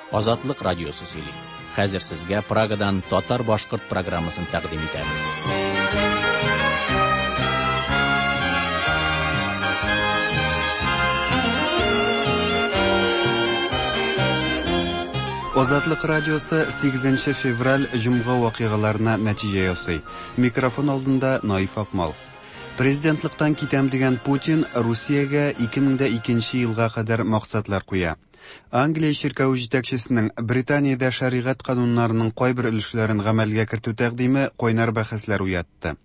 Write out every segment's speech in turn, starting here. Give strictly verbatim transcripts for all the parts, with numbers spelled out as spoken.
Азатлык радиосы сөйли. Хәзер сезгә Прагадан татар-башкорт программасын тәкъдим итәбез. Азатлык радиосы сигезенче февраль җомга вакыйгаларына нәтиҗә ясый. Микрофон алдында Наиф Акмал. Президентлыктан китәм дигән Путин Русиягә ике мең дә икенче елга кадәр максатлар куя. Англия чиркәве җитәкчесенең Британиядә шәригать кануннарының кайбер өлешләрен гамәлгә кертү тәкъдиме кайнар бәхәсләр уятты.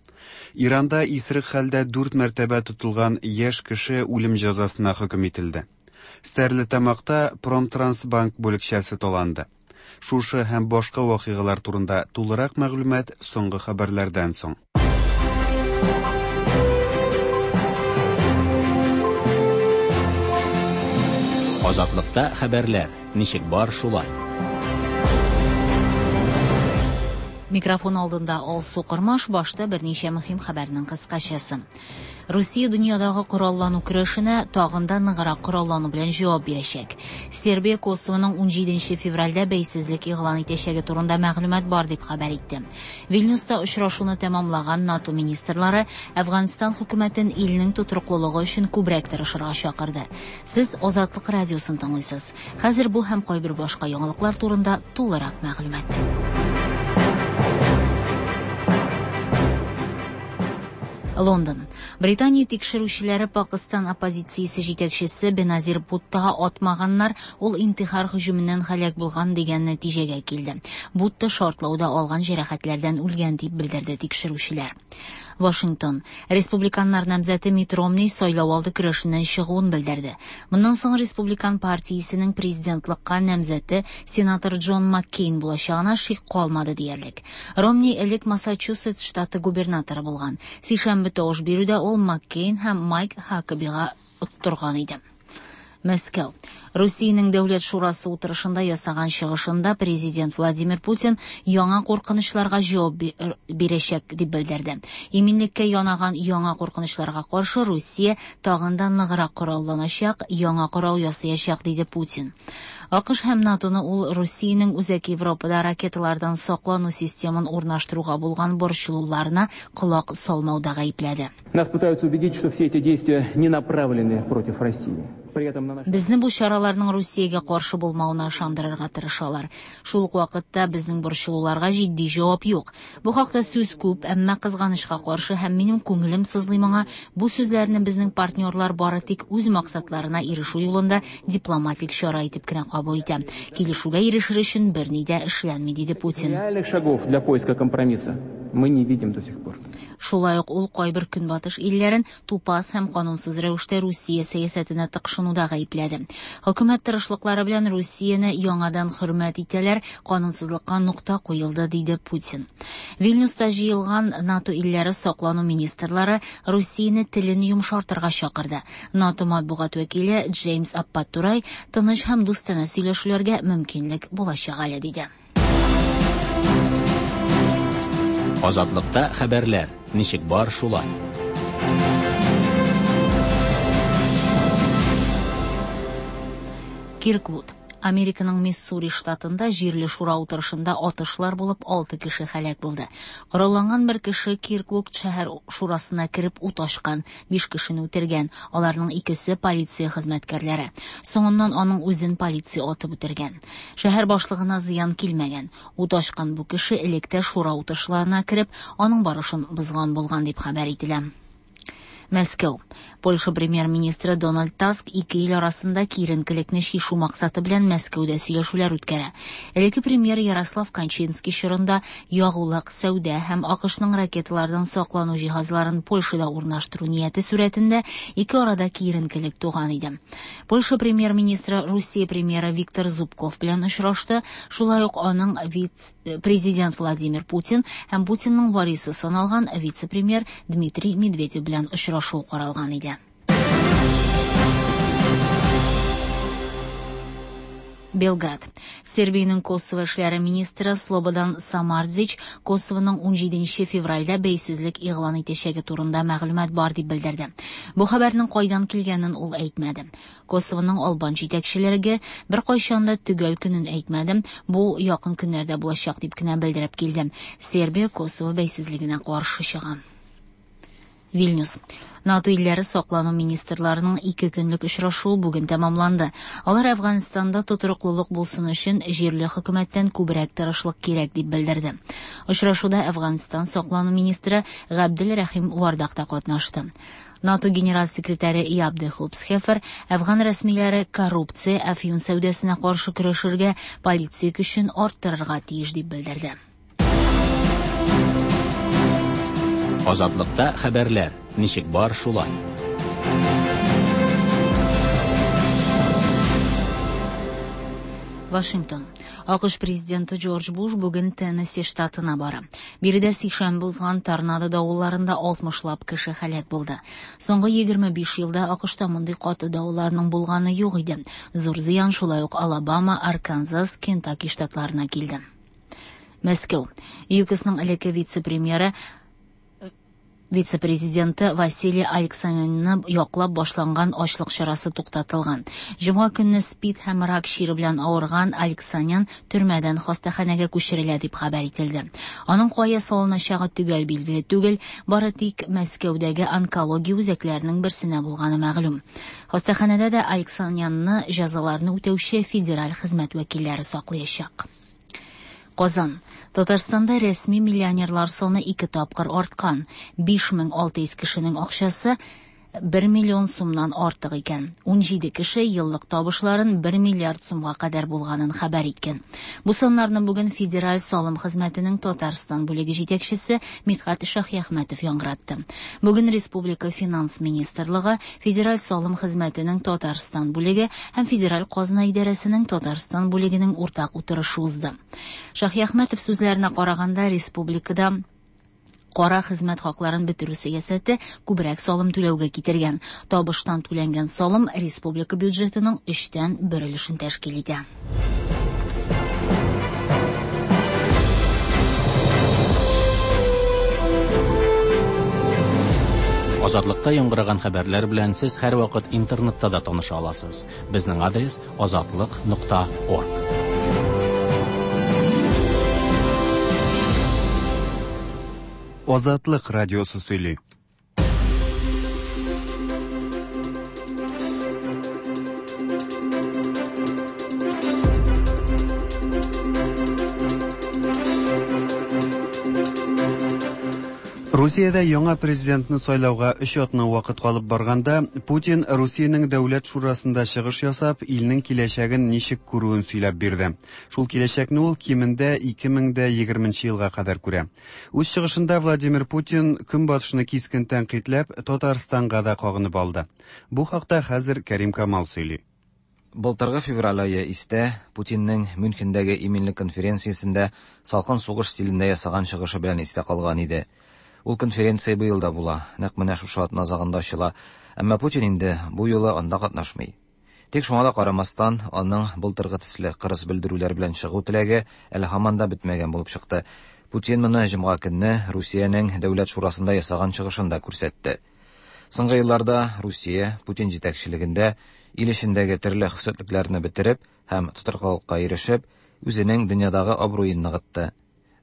Иранда исерек хәлдә дүрт мәртәбә тотылган яшь кеше үлем җәзасына хөкем ителде. Стәрлетамакта Промтрансбанк бүлекчәсе таланды. Шушы һәм башка вакыйгалар турында тулырак мәгълүмат соңгы хәбәрләрдән соң. Азатлыкта хәбәрләр ничек бар шулай. Микрофон алдында Алсу Кырмаш, башта берничә мөһим хәбәрнең кыскачасы. Русия дөньядагы кораллану көрәшенә тагын да ныграк кораллану белән җавап бирәчәк. Сербия Косовоның унҗиденче февральдә бәйсезлек игълан итәчәге турында мәгълүмат бар дип хәбәр итте. Вильнюста очрашуны тәмамлаган НАТО министрлары Әфганстан хөкүмәтен илнең тотрыклылыгы өчен күбрәк тырышырга чакырды. Сез Азатлык радиосын тыңлыйсыз. Хәзер бу һәм кайбер башка яңалыклар турында тулырак мәгълүмат. Лондон. Британия тикшерүчеләре Пакыстан оппозициясе җитәкчесе Беназир Буттага атмаганнар, ул интихар һөҗүменнән һәлак булган дигән нәтиҗәгә килде. Бутта шартлауда алган җәрәхәтләрдән үлгән дип белдерде тикшерүчеләр. Вашингтон. Республиканнар намзәте Митт Ромни сайлау алды көрәшеннән чыгуын белдерде. Моннан соң Республикан партиясенең президентлыкка намзәте сенатор Джон Маккейн булачагына шик калмады диярлек. Ромни элек Массачусетс штаты губернаторы булган. Сишәмбе тавыш бирүдә ул Маккейн һәм Майк Хакабига оттырган иде. Мәскәү. Русиянең Дәүләт шурасы утырышында ясаган чыгышында президент Владимир Путин яңа куркынычларга җавап бирәчәк дип белдерде. Иминлеккә янаган яңа куркынычларга каршы Русия тагын да ныграк коралланачак, яңа корал ясаячак, диде Путин. АКШ һәм НАТОны ул Русиянең Үзәк Европада ракеталардан саклану системын урнаштыруга булган борчылуларына колак салмауда гаепләде. Нас пытаются убедить, что все эти действия не направлены против России. Безне бу чараларның Русиягә каршы булмавына ышандырырга тырышалар. Шул ук вакытта безнең борчылуларга җитди җавап юк. Бу хакта сүз күп, әмма кызганычка каршы һәм минем күңелем сызлый моңа, бу сүзләрне безнең партнерлар бары тик үз максатларына ирешү юлында дипломатик чара итеп кенә кабул итә. Килешүгә ирешер өчен берни дә эшләнми, диде Путин. Реальных шагов для поиска компромисса мы не видим до сих пор. Шулай ук ул кайбер көнбатыш илләрен тупас һәм канунсыз рәвештә Русия сәясәтенә тыкшынуда гаепләде. Хөкүмәт тырышлыклары белән Русияне яңадан хөрмәт итәләр, канунсызлыкка нокта куелды, диде Путин. Вильнюста җыелган НАТО илләре саклану министрлары Русияне телен йомшартырга чакырды. НАТО матбугат вәкиле Джеймс Аппатурай тыныч һәм дустанә сөйләшүләргә мөмкинлек булачак әле, диде. Азатлыкта хәбәрләр ничек бар шулай. Кирквуд. Американың Миссури штатында җирле шура утырышында атышлар булып алты кеше һәлак булды. Коралланган бер кеше Кирквуд шәһәр шурасына кереп ут ачкан, биш кешене үтергән. Аларның икесе полиция хезмәткәрләре. Соңыннан аның үзен полиция атып үтергән. Шәһәр башлыгына зыян килмәгән. Ут ачкан бу кеше электә шура утырышларына кереп, аның барышын бозган булган дип хәбәр ителә. Мәскәү. Польша премьер-министры Дональд Таск ике ил арасында киеренкелекне чишү максаты белән Мәскәүдә сөйләшүләр үткәрә. Элекке премьер Ярослав Качинский чорында ягулык, сәүдә һәм АКШның ракеталардан саклану җиһазларын Польшада урнаштыру нияте сурәтендә ике арада киеренкелек туган иде. Польша премьер-министры Русия премьеры Виктор Зубков белән очрашты, шулай ук аның вице-президент Владимир Путин һәм Путинның варисы саналган вице-премьер Дмитрий Медведев белән очрашу каралган иде. Белград. Сербиянең Косово эшләре министры Слободан Самардзич Косовоның унҗиденче февральдә бәйсезлек игълан итәчәге турында мәгълүмат бар дип белдерде. Бу хәбәрнең кайдан килгәнен ул әйтмәде. Косовоның албан җитәкчелеге беркайчан да төгәл көнен әйтмәде, бу якын көннәрдә булачак дип кенә белдереп килде. Сербия Косово бәйсезлегенә каршы чыга. Вильнюс. НАТО илләре саклану министрларының ике көнлек очрашуы бүген тәмамланды. Алар Әфганстанда тотрыклылык булсын өчен җирле хөкүмәттән күбрәк тырышлык кирәк дип белдерде. Очрашуда Әфганстан саклану министры Габдел Рәхим Вардак та катнашты. НАТО генераль секретаре Яб де Хопсхефер Әфган рәсмиләре коррупция, әфьюн сәүдәсенә каршы көрәшергә, полиция көчен арттырырга тиеш дип белдерде. Азатлыкта хәбәрләр ничек бар шулай. Вашингтон. АКШ президенты Джордж Буш бүген Теннесси штатына бара. Биредә сишәмбе узган торнадо давылларында алтмышлап кеше һәлак булды. Соңгы егерме биш елда АКШта мондый каты давылларның булганы юк иде. Зур зыян шулай ук Алабама, Арканзас, Кентаки штатларына килде. Мәскәү. ЮКОСның элекке вице-премьеры вице-президенты Василий Александрны яклап башланган ачлык чарасы туктатылган. Җомга көнне СПИД һәм рак чире белән авырган Александрян төрмәдән хастаханәгә күчерелә дип хәбәр ителде. Аның кая салыначагы төгәл билгеле түгел, бары тик Мәскәүдәге онкология үзәкләренең берсенә булганы мәгълүм. Хастаханәдә дә Александрянны җәзаларны үтәүче федераль хезмәт вәкилләре саклаячак. Казан. Татарстанда рәсми миллионерлар саны ике тапкыр арткан. биш мең алты йөз кешенең акчасы бер миллион сумнан артык икән. Унҗиде кеше еллык табышларын бер миллиард сумга кадәр булганын хәбәр иткән. Бу саннарны бүген Федераль салым хезмәтенең Татарстан бүлеге җитәкчесе Мидхәт Шаһиәхмәтов яңгыратты. Бүген Республика Финанс министрлыгы, Федераль салым хезмәтенең Татарстан бүлеге һәм Федераль казна идарәсенең Татарстан бүлегенең уртак утырышы узды. Шаһиәхмәтов сүзләренә караганда, республикада кара хезмәт хакларын бетерү сәясәте күбрәк салым түләүгә китергән. Табыштан түләнгән салым республика бюджетының өчтән бер өлешен тәшкил итә. Азатлыкта яңгыраган хәбәрләр белән сез һәрвакыт интернетта да таныша аласыз. Безнең адрес азатлык нокта орг. Азатлык радиосы сөйли. Русиядә яңа президентны сайлауга өч атна вакыт калып барганда, Путин Русиянең дәүләт шурасында чыгыш ясап, илнең киләчәген ничек күрүен сөйләп бирде. Шул киләчәкне ул кимендә ике мең дә егерменче елга кадәр күрә. Үз чыгышында Владимир Путин көнбатышны кискен тәнкыйтьләп, Татарстанга да кагынып алды. Бу хакта хәзер Кәрим Камал сөйли. Былтыргы февраль ае истә Путинның Мюнхендәге иминлек конференциясендә салкын сугыш стилендә ясаган чыгышы белән истә калган иде. Ул конференция быел да була, нәкъ менә шушы атна азагында ачыла. Әмма Путин инде бу юлы анда катнашмый. Тик шуңа да карамастан, аның былтыргы төсле кырыс белдерүләр белән чыгу теләге әле һаман да бетмәгән булып чыкты. Путин моны җомга көнне Русиянең дәүләт шурасында ясаган чыгышында күрсәтте. Соңгы елларда Русия Путин җитәкчелегендә ил эчендәге төрле хөсетлекләрне бетереп һәм тотрыклылыкка ирешеп, үзенең дөньядагы абруен ныгытты.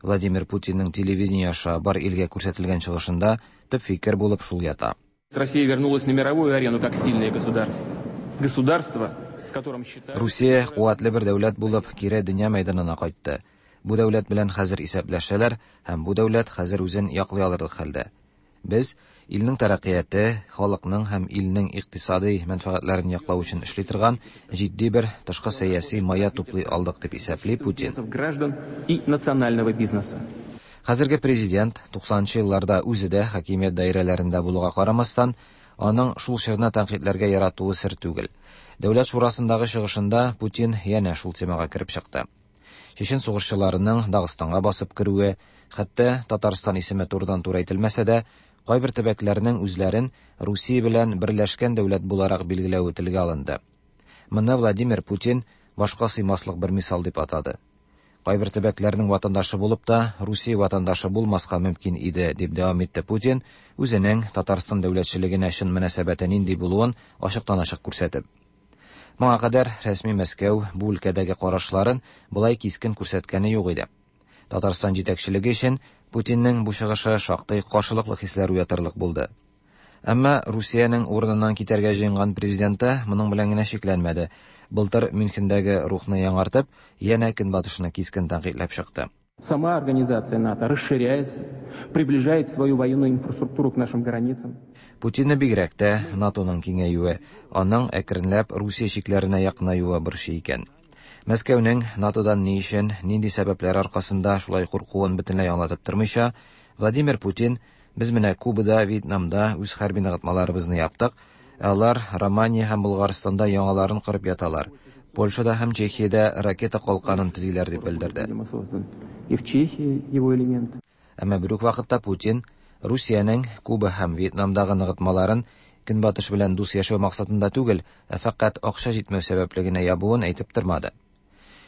Владимир Путинның телевидение аша бар илгә күрсәтелгән чыгышында төп фикер булып шул ята. Россия вернулась на мировую арену как сильное государство. Государство, с которым считают... Русия куәтле бер дәүләт булып кире дөнья мәйданына кайтты. Бу дәүләт белән хәзер исәпләшәләр һәм бу дәүләт хәзер үзен яклый алырлык хәлдә. Без илнең тәрәккыяте, халыкның һәм илнең икътисади мәнфәгатьләрен яклау өчен эшли торган җитди бер тышкы сәяси мая туплый алдык дип исәпли Путин. Граждан и национального бизнеса. Хәзерге президент туксанынчы елларда үзе дә хакимият даирәләрендә булуга карамастан, аның шул чорны тәнкыйтьләргә яратуы сер түгел. Дәүләт шурасындагы чыгышында Путин янә шул темага кереп чыкты. Чечен сугышчыларының Дагыстанга басып керүе, хәтта Татарстан исеме турыдан-туры әйтелмәсә дә, кайбер төбәкләрнең үзләрен Русия белән берләшкән дәүләт буларак билгеләве телгә алынды. Моны Владимир Путин башка сыймаслык бер мисал дип атады. Кайбер төбәкләрнең ватандашы булып та, Русия ватандашы булмаска мөмкин иде, дип дәвам итте Путин, үзенең Татарстан дәүләтчелегенә чын мөнәсәбәте нинди булуын ачыктан-ачык күрсәтеп. Моңа кадәр рәсми Мәскәү бу өлкәдәге карашларын болай кискен күрсәткәне юк иде. Татарстан җитәкчелеге өчен Путинның бу чыгышы шактый каршылыклы хисләр уятырлык булды. Әмма Русиянең урыныннан китәргә җыенган президенты моның белән генә чикләнмәде. Былтыр Мюнхендәге рухны яңартып, янә Көнбатышны кискен тәнкыйтьләп чыкты. Сама организация НАТО расширяется, приближает свою военную инфраструктуру к нашим границам. Путинны бигрәк тә НАТОның киңәюе, аның әкренләп Русия чикләренә якынаюы борчый икән. Мәскәүнең НАТОдан ни өчен, нинди сәбәпләр аркасында шулай куркуын бөтенләй аңлатып тормыйча, Владимир Путин: "Без менә Кубада, Вьетнамда үз хәрби ныгытмаларыбызны яптык, ә алар Романия һәм Болгарстанда яңаларын корып яталар. Польшада һәм Чехиядә ракета калканын төзиләр", дип белдерде. Видимо, создан. И в Чехии его элемент. Әмма бер үк вакытта Путин Русиянең Куба һәм Вьетнамдагы ныгытмаларын Көнбатыш белән дус яшәү максатында түгел, ә фәкать акча җитмәү сәбәпле генә ябуын әйтеп тормады.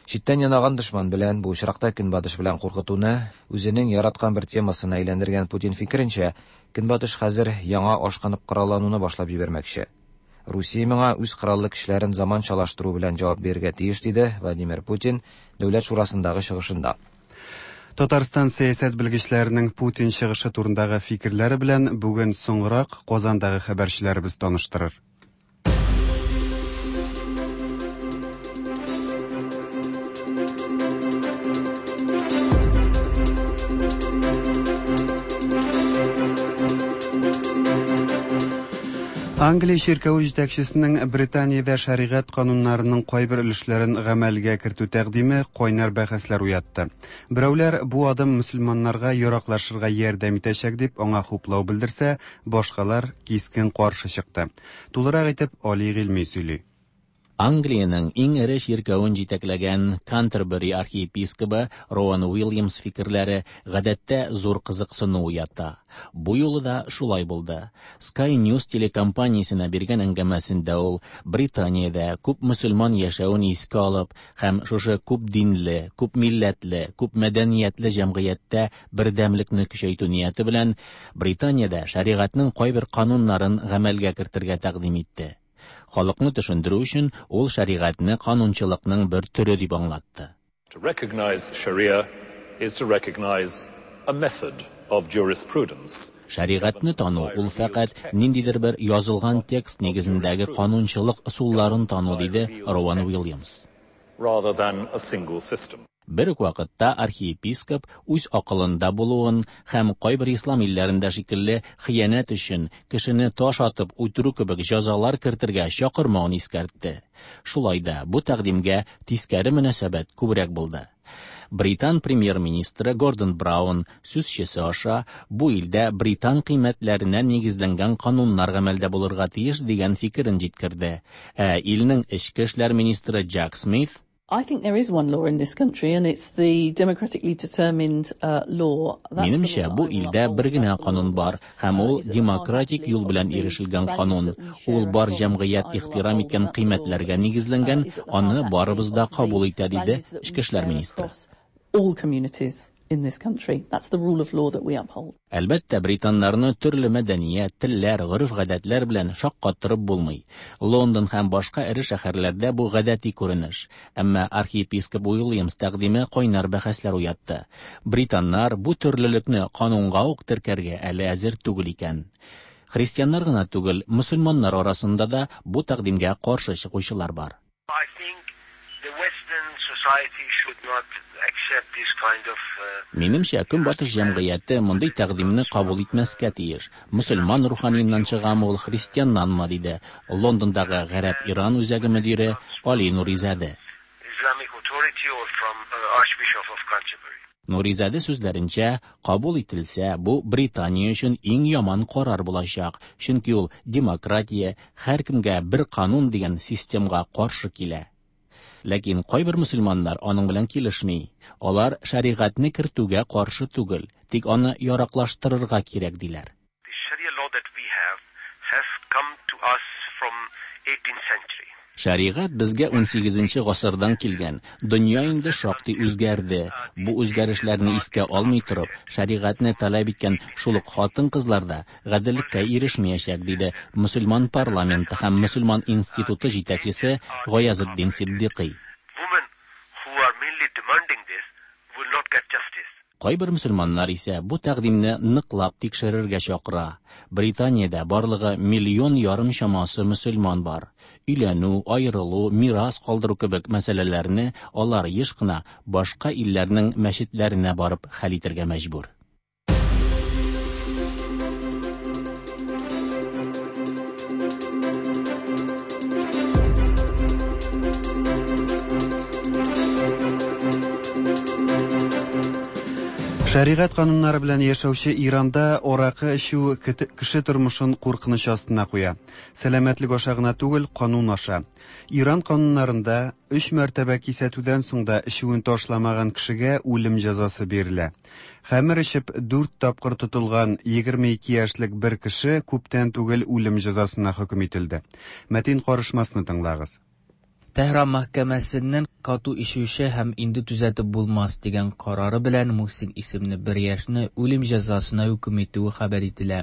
Читтән янаган дошман белән, бу очракта Көнбатыш белән куркытуны үзенең яраткан бер темасына әйләндергән Путин фикеренчә, Көнбатыш хәзер яңа ашкынып кораллануны башлап җибәрмәкче. Русия моңа үз кораллы көчләрен заманчалаштыру белән җавап бирергә тиеш, диде Владимир Путин Дәүләт шурасындагы чыгышында. Татарстан сәясәт белгечләренең Путин чыгышы турындагы фикерләре белән бүген соңрак Казандагы хәбәрчеләребез таныштырыр. Англия чиркәве җитәкчесенең Британиядә шәригать кануннарының кайбер өлешләрен гамәлгә кертү тәкъдиме кайнар бәхәсләр уятты. Берәүләр бу адым мөселманнарга яраклашырга ярдәм итәчәк дип аңа хуплау белдерсә, башкалар кискен каршы чыкты. Тулырак итеп Али Гыйльми сөйли. Англиянең иң эре чиркәвен җитәкләгән Кантербери архиепискобы Роуан Уильямс фикерләре гадәттә зур кызыксыну уята. Бу юлы да шулай булды. Sky News телекомпаниясенә биргән әңгәмәсендә ул Британиядә күп мөселман яшәвен искә алып һәм шушы күп динле, күп милләтле, күп мәдәниятле җәмгыятьтә бердәмлекне көчәйтү нияте белән Британиядә шәригатьнең кайбер кануннарын гамәлгә кертергә тәкъдим итте. Халыкны төшендерү өчен ул шәригатьне канунчылыкның бер төре дип аңлатты. To recognize Sharia is to recognize a method of jurisprudence. Шәригатьне тану ул фәкать ниндидер бер язылган текст нигезендәге канунчылык ысулларын тану, диде Роуан Уильямс. Rather than a single system. Бер үк вакытта архиепископ үз акылында булуын һәм кайбер ислам илләрендә шикелле хыянәт өчен кешене таш атып үтерү кебек җәзалар кертергә чакырмавын искәртте. Шулай да бу тәкъдимгә тискәре мөнәсәбәт күбрәк булды. Британ премьер-министры Гордон Браун сүзчесе аша бу илдә британ кыйммәтләренә нигезләнгән кануннар гамәлдә булырга тиеш дигән фикерен җиткерде. Ә илнең эчке эшләр министры Джек Смит: I think there is one law in this country, and it's the democratically determined uh, law. Минемчә, бу илдә бер генә канун бар, һәм ул демократик юл белән ирешелгән канун. Ул бар җәмгыять ихтирам иткән кыйммәтләргә нигезләнгән, аны барыбыз да кабул итә, диде эчке эшләр министры. All communities in this country. That's the rule of law that we uphold. Әлбәттә, британнарны төрле мәдәният, телләр, гореф-гадәтләр белән шаккаттырып булмый. Лондон һәм башка эре шәһәрләрдә бу гадәти күренеш. Әмма архиепископ Уильямс тәкъдиме кайнар бәхәсләр уятты. Британнар бу төрлелекне канунга ук теркәргә әле әзер түгел икән. Христианнар гына түгел, мөселманнар арасында да бу тәкъдимгә каршы чыгучылар бар. I think the Western society should not accept this kind of uh, Минемчә, Көнбатыш җәмгыяте мондый тәкъдимне кабул итмәскә тиеш. Мөселман руханиеннан чыгамы ул, христианнанмы, диде Лондондагы Гарәп-Иран үзәге мөдире Али Нуризаде. Islamic authority or from uh, Archbishop of Canterbury. Нуризаде сүзләренчә, кабул ителсә, бу Британия өчен иң яман карар булачак, чөнки ул демократия, һәркемгә бер канун дигән системга каршы килә. Ләкин кайбер мөселманнар аның белән килешми. Алар шәригатьне кертүгә каршы түгел, тик аны яраклаштырырга кирәк диләр. The Sharia law that we have has come to us from eighteenth century. Шәригать безгә унсигезенче гасырдан килгән. Дөнья инде шактый үзгәрде. Бу үзгәрешләрне искә алмый торып, шәригатьне таләп иткән шул ук хатын-кызлар да гаделлеккә ирешмәячәк, диде мөселман парламенты һәм мөселман институты җитәкчесе Гаязетдин Сиддикый. Women who are mainly demanding this will not get justice. Кайбер мөселманнар исә бу тәкъдимне ныклап тикшерергә чакыра. Британиядә барлыгы миллион ярым чамасы мөселман бар. Өйләнү, аерылу, мирас калдыру кебек мәсьәләләрне алар еш кына башка илләрнең мәчетләренә барып хәл итәргә мәҗбүр. Шәригать кануннары белән яшәүче Иранда аракы эчү кеше тормышын куркыныч астына куя. Сәламәтлек аша гына түгел, канун аша. Иран кануннарында өч мәртәбә кисәтүдән соң да эчүен ташламаган кешегә үлем җәзасы бирелә. Хәмер эчеп дүрт тапкыр тотылган егерме ике яшьлек бер кеше күптән түгел үлем җәзасына хөкем ителде. Мәтин карышмасны тыңлагыз. Тәһран мәхкәмәсеннән кату ишүче һәм инде төзәтеп булмас дигән карары белән Мухсин исемле бер яшьне үлем җәзасына хөкем итүе хәбәр ителә.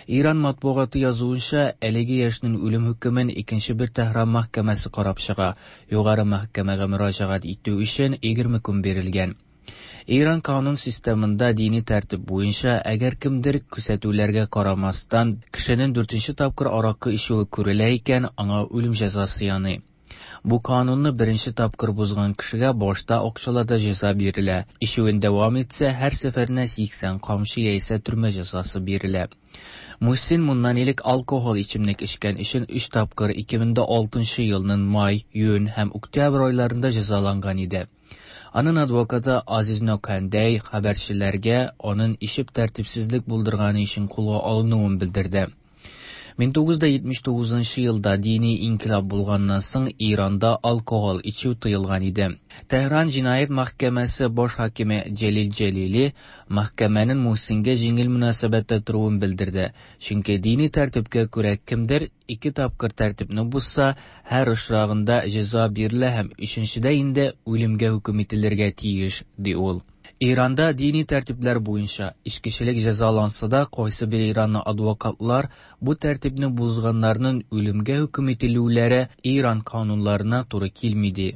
Иран матбугаты язуынча, әлеге яшьнең үлем хөкемен икенче бер Тәһран мәхкәмәсе карап чыга. Югары мәхкәмәгә мөрәҗәгать итү өчен егерме көн бирелгән. Иран канун системында дини тәртип буенча, әгәр кемдер күрсәтүләргә карамастан кешенең дүртенче тапкыр аракы эчүе күрелә икән, аңа үлем җәзасы яный. Бу канунны беренче тапкыр бозган кешегә башта акчалата җәза бирелә. Эчүен дәвам итсә, һәр сәфәренә сиксән камчы яисә төрмә җәзасы бирелә. Мухсин моннан элек алкоголь эчемлек эчкән өчен өч тапкыр ике мең дә алтынчы елның май, июнь һәм октябрь айларында җәзаланган иде. Аның адвокаты Азиз Нокәндәй хәбәрчеләргә аның ишеп тәртипсезлек булдырганы өчен кулга алынуын белдерде. мең тугыз йөз җитмеш тугызынчы елда дини инкыйлаб булганнан соң Иранда алкоголь эчү тыелган иде. Тәһран җинаять мәхкәмәсе баш хакиме Җәлил Җәлили мәхкәмәнең Мухсингә җиңел мөнәсәбәттә торуын белдерде. Чөнки дини тәртипкә күрә кемдер ике тапкыр тәртипне бозса, һәр очрагында җәза бирелә һәм өченчедә инде үлемгә хөкем ителергә тиеш, ди ул. Иранда дини тәртипләр буенча эчкечелек җәзаланса да, кайсы бер Иранлы адвокатлар бу тәртипне бозганнарның үлемгә хөкем ителүләре Иран кануннарына туры килми ди.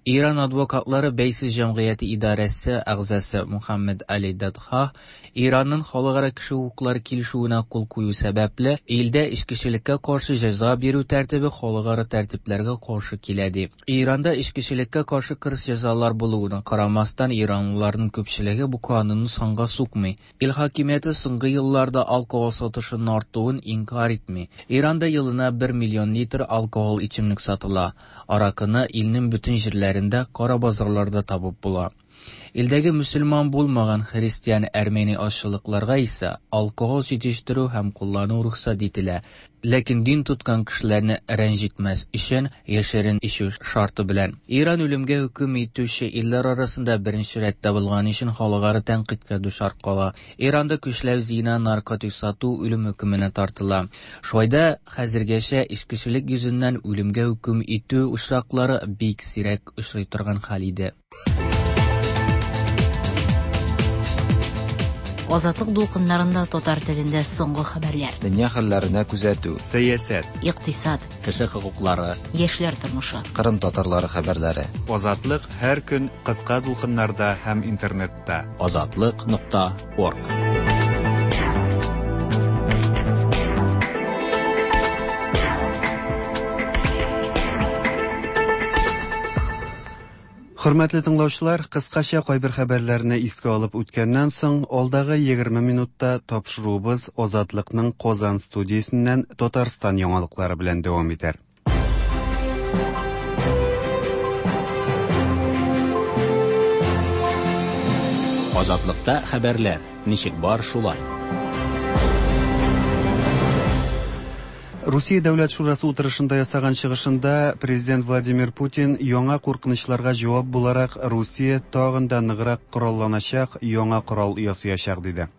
Иран адвокатлары бәйсез җәмгыяте идарәсе әгъзасы Мухаммед Али Дадха Иранның халыкара кеше хокуклары килешүенә кул кую сәбәпле илдә эчкечелеккә каршы җәза бирү тәртибе халыкара тәртипләргә каршы килә ди. Иранда эчкечелеккә каршы кырыс җәзалар булуына карамастан, иранлыларның күпчелеге бу канунны санга сукмый. Ил хакимияте соңгы елларда алкоголь сатышының артуын инкар итми. Иранда елына бер миллион литр алкоголь эчемлек сатыла. Аракыны илнең бөтен җирләрендә кара базарларда табып була. Илдәге мөселман булмаган христиан әрмәни азчылыкларга исә алкоголь җитештерү һәм куллану рөхсәт ителә. Ләкин дин тоткан кешеләрне рәнҗетмәс өчен яшерен эчү шарты белән. Иран үлемгә хөкем итүче илләр арасында беренче рәттә булган өчен халыкара тәнкыйтькә дучар кала. Иранда көчләү зина, наркотик сату үлем хөкеменә тартыла. Шулай да хәзергәчә эчкечелек йөзеннән үлемгә хөкем итү очраклары бик сирәк очрый торган хәл иде. Азатлык дулкыннарында татар телендә соңгы хәбәрләр. Дөнья хәлләренә күзәтү, сәясәт, икътисад, кеше хокуклары, яшьләр тормышы, Кырым татарлары хәбәрләре. Азатлык һәр көн кыска дулкыннарда һәм интернетта. Азатлык нокта орг. Хөрмәтле тыңлаучылар, кыскача кайбер хәбәрләрне искә алып үткәннән соң, алдагы егерме минутта тапшыруыбыз Азатлыкның Казан студиясеннән Татарстан яңалыклары белән дәвам итәр. Азатлыкта хәбәрләр ничек бар шулай. Русия Дәүләт Шурасы утырышында ясаган чыгышында президент Владимир Путин яңа куркынычларга җавап буларак Русия тагын да ныграк коралланачак, яңа корал ясаячак диде.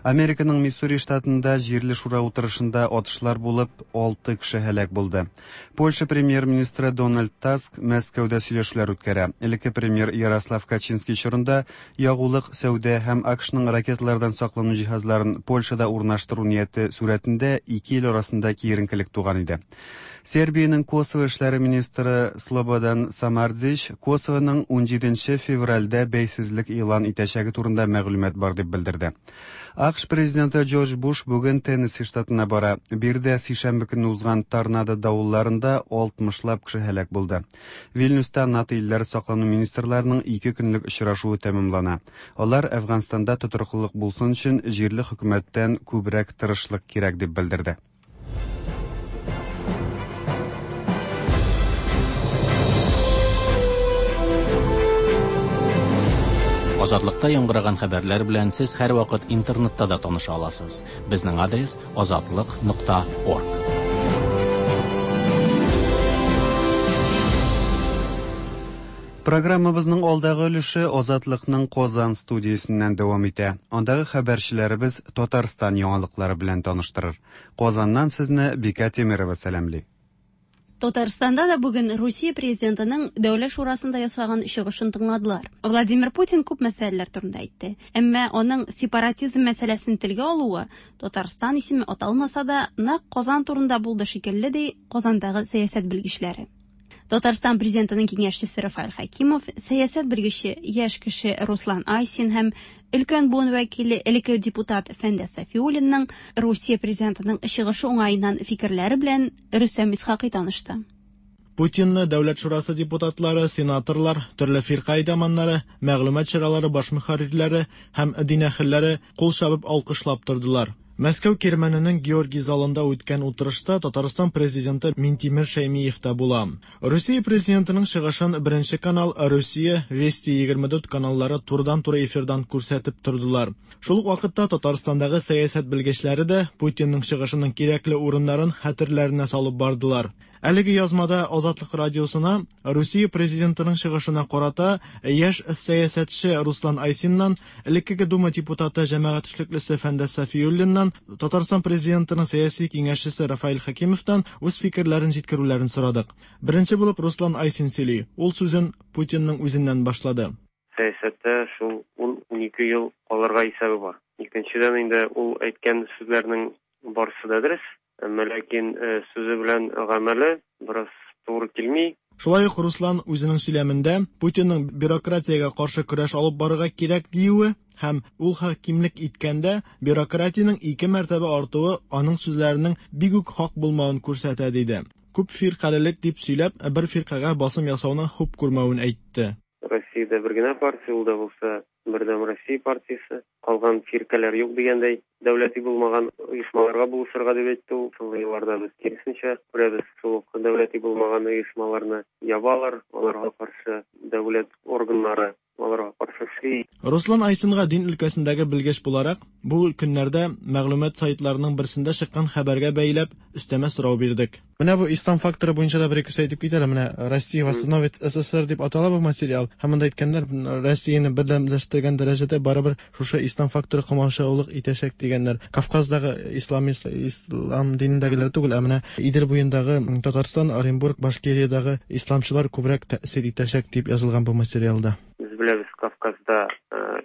Американың Миссури штатында җирле шура утырышында атышлар булып, алты кеше һәлак булды. Польша премьер-министры Дональд Таск Мәскәүдә сөйләшүләр үткәрә. Элекке премьер Ярослав Качинский чорында ягулык, сәүдә һәм АКШның ракеталардан саклану җиһазларын Польшада урнаштыру нияте сурәтендә ике ил арасында киеренкелек туган иде. Сербиянең Косово эшләре министры Слободан Самардзич Косовоның унҗиденче февральдә бәйсезлек игълан итәчәге турында мәгълүмат бар дип белдерде. АКШ президенты Джордж Буш бүген Теннесси штатына бара. Биредә сишәмбе көнне узган торнадо давылларында алтмышлап кеше һәлак булды. Вильнюста НАТО илләре саклану министрларының ике көнлек очрашуы тәмамлана. Алар Әфганстанда тотрыклылык булсын өчен җирле хөкүмәттән күбрәк тырышлык кирәк дип белдерде. Азатлыкта яңгыраган хәбәрләр белән сез һәрвакыт интернетта да таныша аласыз. Безнең адрес азатлык нокта орг. Программабызның алдагы өлеше Азатлыкның Казан студиясеннән дәвам итә. Андагы хәбәрчеләребез Татарстан яңалыклары белән таныштырыр. Казаннан сезне Бика Тимирова сәламли. Татарстанда да бүген Русия президентының Дәүләт шурасында ясаган чыгышын тыңладылар. Владимир Путин күп мәсьәләләр турында әйтте. Әмма аның сепаратизм мәсьәләсен телгә алуы Татарстан исеме аталмаса да, нәкъ Казан турында булды шикелле, ди Казандагы сәясәт белгечләре. Татарстан президентының киңәшчесе Рафаэль Хәкимов, сәясәт белгече яшь кеше Руслан Айсин һәм өлкән буын вәкиле элекке депутат Фәндәс Сафиуллинның Русия президентының чыгышы уңаеннан фикерләре белән Рөстәм Исхакый танышты. Путинны Дәүләт шурасы депутатлары, сенаторлар, төрле фирка әйдаманнары, мәгълүмат чаралары баш мөхәррирләре һәм дин әһелләре кул чабып алкышлап тордылар. Мәскәү Кирмәненең Георгий залында үткән утырышта Татарстан президенты Минтимер Шәймиев та була. Русия президентының чыгышын Беренче канал, Русия, Вести егерме дүрт каналлары турыдан-туры эфирдан күрсәтеп тордылар. Шул ук вакытта Татарстандагы сәясәт белгечләре дә Путинның чыгышының кирәкле урыннарын хәтерләренә салып бардылар. Әлеге язмада Азатлык радиосына Русия президентының чыгышына карата яшь сәясәтче Руслан Айсиннан, элеккеге Дума депутаты җәмәгать эшлеклесе Фәндәс Сафиуллиннан, Татарстан президентының сәяси киңәшчесе Рафаэль Хәкимовтан үз фикерләрен җиткерүләрен сорадык. Беренче булып Руслан Айсин сөйли. Ул сүзен Путинның үзеннән башлады. Сәясәттә шул ун-унике ел калырга исәбе бар. Икенчедән инде ул әйткән сүзләрнең барысы да дөрес. Әмма ләкин сүзе белән гамәле бераз туры килми. Шулай ук Руслан үзенең сөйләмендә Путинның бюрократиягә каршы көрәш алып барырга кирәк диюе һәм ул хакимлек иткәндә бюрократиянең ике мәртәбә артуы аның сүзләренең бик үк хак булмавын күрсәтә диде. Күп фиркалелек дип сөйләп, бер фиркагә басым ясауны хуп күрмәвен әйтте. Россиядә бер генә партия, ул да булса Бердәм Россия партиясе, калган фиркаләр юк дигәндәй, дәүләти булмаган оешмаларга булышырга дип әйтте ул. Соңгы елларда без киресенчә күрәбез, шул ук дәүләти булмаган оешмаларны ябалар, аларга каршы дәүләт органнары аларга каршы эшли. Руслан Айсинга дин өлкәсендәге белгеч буларак, бу көннәрдә мәгълүмат сайтларының берсендә чыккан хәбәргә бәйләп өстәмә сорау бирдек. Менә бу ислам факторы буенча да бер ике сүз әйтеп кит әле. Менә Россия восстановит СССР дип атала бу материал. Һәм монда әйткәннәр, Россияне бердәмләштергән дәрәҗәдә барыбер шушы ислам факторы комачаулык итәчәк дигәннәр. Кавказдагы ислам, ислам динендәгеләр түгел, ә менә Идел буендагы Татарстан, Оренбург, Башкириядагы исламчылар күбрәк тәэсир итәчәк дип язылган бу материалда. Без беләбез, Кавказда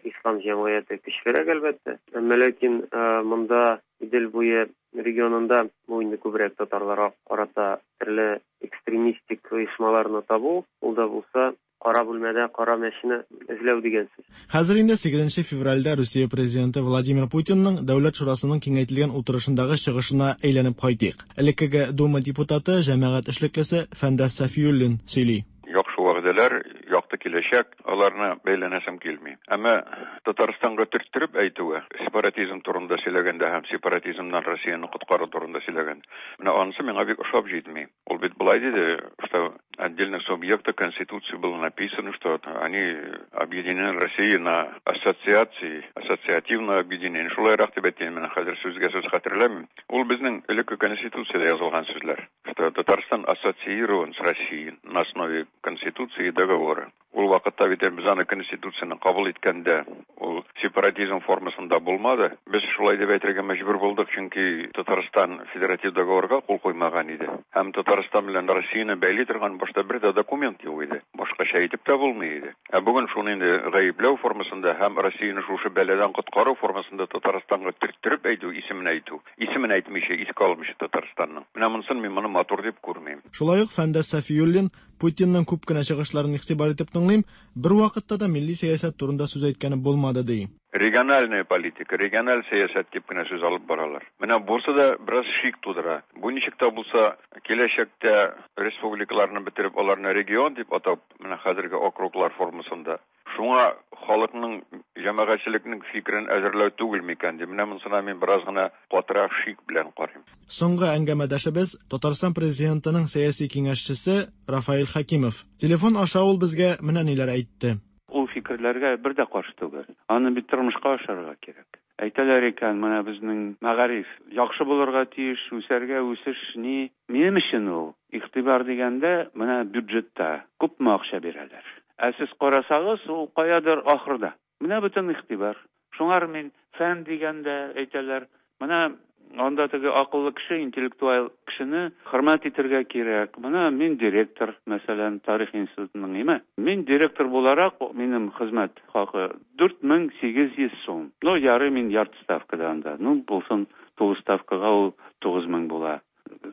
ислам җәмгыяте көчлерәк әлбәттә. Әмма ләкин монда Идел буе регионында бу инде күбрәк татарларга карата төрле экстремистик оешмаларны табу, ул да булса кара бүлмәдә кара мәчене эзләү дигән сүз. Хәзер инде сигезенче февральдә Русия президенты Владимир Путинның Дәүләт шурасының киңәйтелгән утырышындагы чыгышына әйләнеп кайтыйк. Элеккеге Дума депутаты, җәмәгать эшлеклесе Фәндәс Сафиуллин сөйли. Яхшы вәгъдәләр, якты киләчәк, аларны бәйләнәсем килми. Әмма Татарстанга төрттереп әйтүе, сепаратизм турында сөйләгәндә һәм сепаратизмнан Россияне коткару турында сөйләгәндә, менә анысы миңа бик ошап җитми. Ул бит болай диде, что отдельных субъектов Конституции было написано, что они объединены Россией на ассоциации, ассоциативное объединение. Шулайрак дип әйтәм, менә хәзер сүзгә сүз хәтерләмим. Ул безнең элекке Конституциядә язылган сүзләр. что Татарстан ассоциирован с Россией на основе Конституции и договора. Ул вакытта бит без аны Конституцияне кабул иткәндә ул сепаратизм формасында булмады. Без шулай дип әйтергә мәҗбүр булдык, чөнки Татарстан федератив договорга кул куймаган иде. Һәм Татарстан белән Россияне бәйли торган башта бер дә документ юк иде. Башкача әйтеп тә булмый иде. Ә бүген шуны инде гаепләү формасында һәм Россияне шушы бәладән коткару формасында Татарстанга төрттереп әйтү, исемен әйтү, исемен әйтмичә, искә алмыйча Татарстанның. Менә монысын мин моны матур дип күрмим. Шулай ук Фәндәс Сафиуллин Путинның күп кенә чыгышларын игътибар итеп тыңлыйм, бер вакытта да милли сәясәт турында сүз әйткәне булмады ди. Региональная политика, региональ сәясәт дип кенә сүз алып баралар. Менә бусы да бераз шик тудыра. Бу ничек тә булса киләчәктә республикаларны бетереп, аларны регион дип атап, менә хәзерге округлар формасында. Шуңа халыкның, җәмәгатьчелекнең фикерен әзерләү түгел микән дип, менә монысына мин бераз гына катырак шик белән карыйм. Соңгы әңгәмәдәшебез Татарстан президентының сәяси киңәшчесе Рафаэль Хәкимов. Телефон аша ул безгә менә ниләр әйтте. Ул фикерләргә бер дә каршы түгел. Аны бит тормышка ашырырга кирәк. Әйтәләр икән, менә безнең мәгариф яхшы булырга тиеш, үсәргә, үсеш ни? Минем өчен ул игътибар дигәндә, менә бюджетта күпме акча бирәләр. Ә сез карасагыз, ул каядыр ахырда. Менә бөтен игътибар. Шуңар мин фән дигәндә әйтәләр, менә анда теге акыллы кеше, интеллектуаль кешене хөрмәт итәргә кирәк. Менә мин директор, мәсәлән, тарих институтының, име? Мин директор буларак, минем хезмәт хакы дүрт мең сигез йөз сум. Ну, ярый, мин ярты ставкада анда. Ну, булсын, тулы ставкага ул тугыз мең була.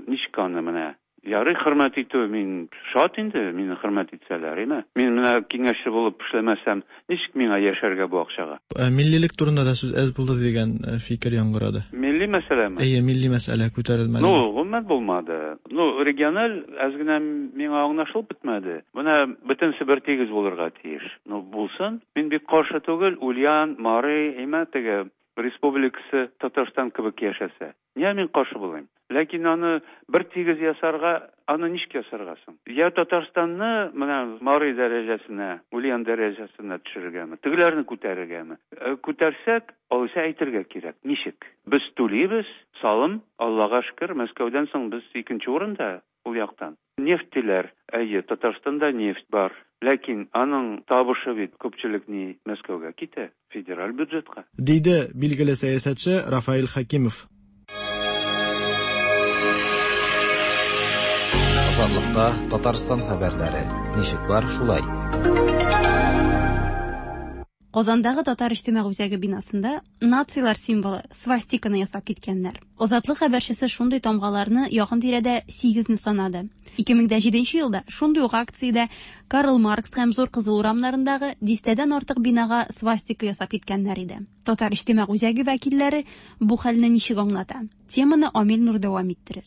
Ничек аны менә? Ярый, хөрмәт итү, мин шат инде, мине хөрмәт итсәләр, име? Мин менә киңәшче булып эшләмәсәм, ничек миңа яшәргә бу акчага? Миллилек турында да сүз әз булды дигән фикер яңгырады. Милли мәсьәләме? Әйе, милли мәсьәлә күтәрелмәде. Ну, гомумән булмады. Ну, региональ әз генә миңа аңлашылып бетмәде. Менә бөтенесе бер тигез булырга тиеш. Ну, булсын. Мин бик каршы түгел, Ульян, Мари, име, теге республикасы Татарстан кебек яшәсә. Нигә мин каршы булыйм? Ләкин аны бер тигез ясарга, аны ничек ясарга соң? Я Татарстанны менә Мари дәрәҗәсенә, Ульян дәрәҗәсенә төшерергәме, тегеләрне күтәрергәме? Күтәрсәк, алайса әйтергә кирәк. Ничек? Без түлибез салым, Аллага шөкер, Мәскәүдән соң без икенче урында ул яктан. Нефть диләр, әйе, Татарстанда нефть бар. Ләкин аның табышы бит күпчелек ни Мәскәүгә китә, федераль бюджетка. Диде билгеле сәясәтче Рафаэль Хәкимов. Азатлыкта Татарстан хәбәрләре. Ничек бар, шулай. Казандагы Татар иҗтимагый үзәге бинасында нациялар символы свастиканы ясап киткәннәр. Азатлык хәбәрчесе шундый тамгаларны якын тирәдә сигезне санады. ике мең җиденче елда шундый ук акциядә Карл Маркс һәм Зур Кызыл урамнарындагы дистәдән артык бинага свастика ясап киткәннәр иде. Татар иҗтимагый үзәге вәкилләре бу хәлне ничек аңлата? Теманы Амил Нур дәвам иттерер.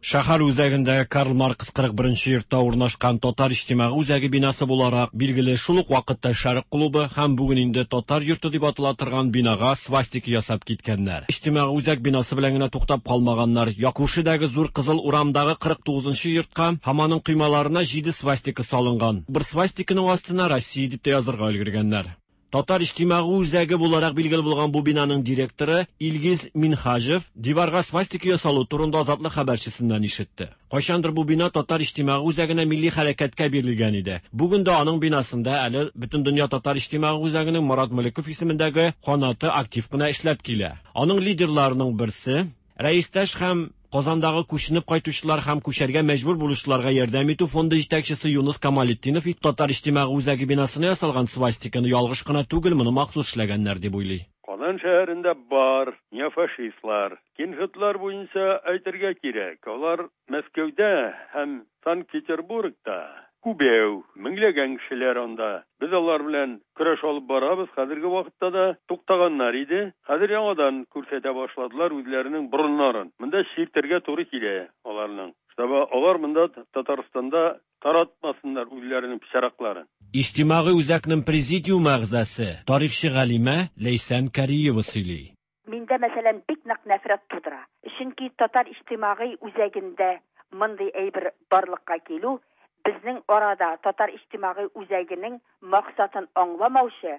Шәһәр үзәгендә Карл Маркс кырык беренче йортта урнашкан Татар иҗтимагый үзәге бинасы буларак билгеле шул ук вакытта Шәрык клубы һәм бүген инде Татар йорты дип атала торган бинага свастика ясап киткәннәр. Иҗтимагый үзәк бинасы белән генә туктап калмаганнар. Якушидагы Зур Кызыл урамдагы кырык тугызынчы йортка һәм аның коймаларына җиде свастика салынган. Бер свастиканың астына Россия дип тә язырга өлгергәннәр. Татар иҗтимагый үзәге буларак билгеле булган бу бинаның директоры Илгиз Минхаҗев диварга свастика ясалу турында Азатлык хәбәрчесеннән ишетте. Кайчандыр бу бина Татар иҗтимагый үзәгенә милли хәрәкәткә бирелгән иде. Бүген дә аның бинасында әле Бөтендөнья Татар иҗтимагый үзәгенең Марат Мөлеков исемендәге канаты актив кына эшләп килә. Аның лидерларының берсе рәистәш һәм Казандагы күченеп кайтучылар һәм күчәргә мәҗбүр булучыларга ярдәм итү фонды җитәкчесе Юныс Камалетдинов Татар иҗтимагый үзәге бинасына ясалган свастиканы ялгыш кына түгел, моны махсус эшләгәннәр дип уйлый. Казан шәһәрендә бар неофашистлар, кинжетлар буенча әйтергә кирәк. Алар Мәскәүдә һәм Санкт-Петербургта күбәү, меңләгән кешеләр анда. Без алар белән көрәш алып барабыз. Хәзерге вакытта да туктаганнар иде. Хәзер яңадан күрсәтә башладылар үзләренең борыннарын. Монда чиртергә туры килә аларның. Чтобы алар монда Татарстанда таратмасыннар үзләренең пычаракларын. Иҗтимагый үзәкнең президиум әгъзасы, тарихчы галимә Ләйсән Кариева сөйли. Миндә, мәсәлән, бик нык нәфрәт тудыра. Чөнки Татар иҗтимагый үзәгендә мондый әйбер барлыкка килү безнең арада Татар иҗтимагый үзәгенең максатын аңламаучы,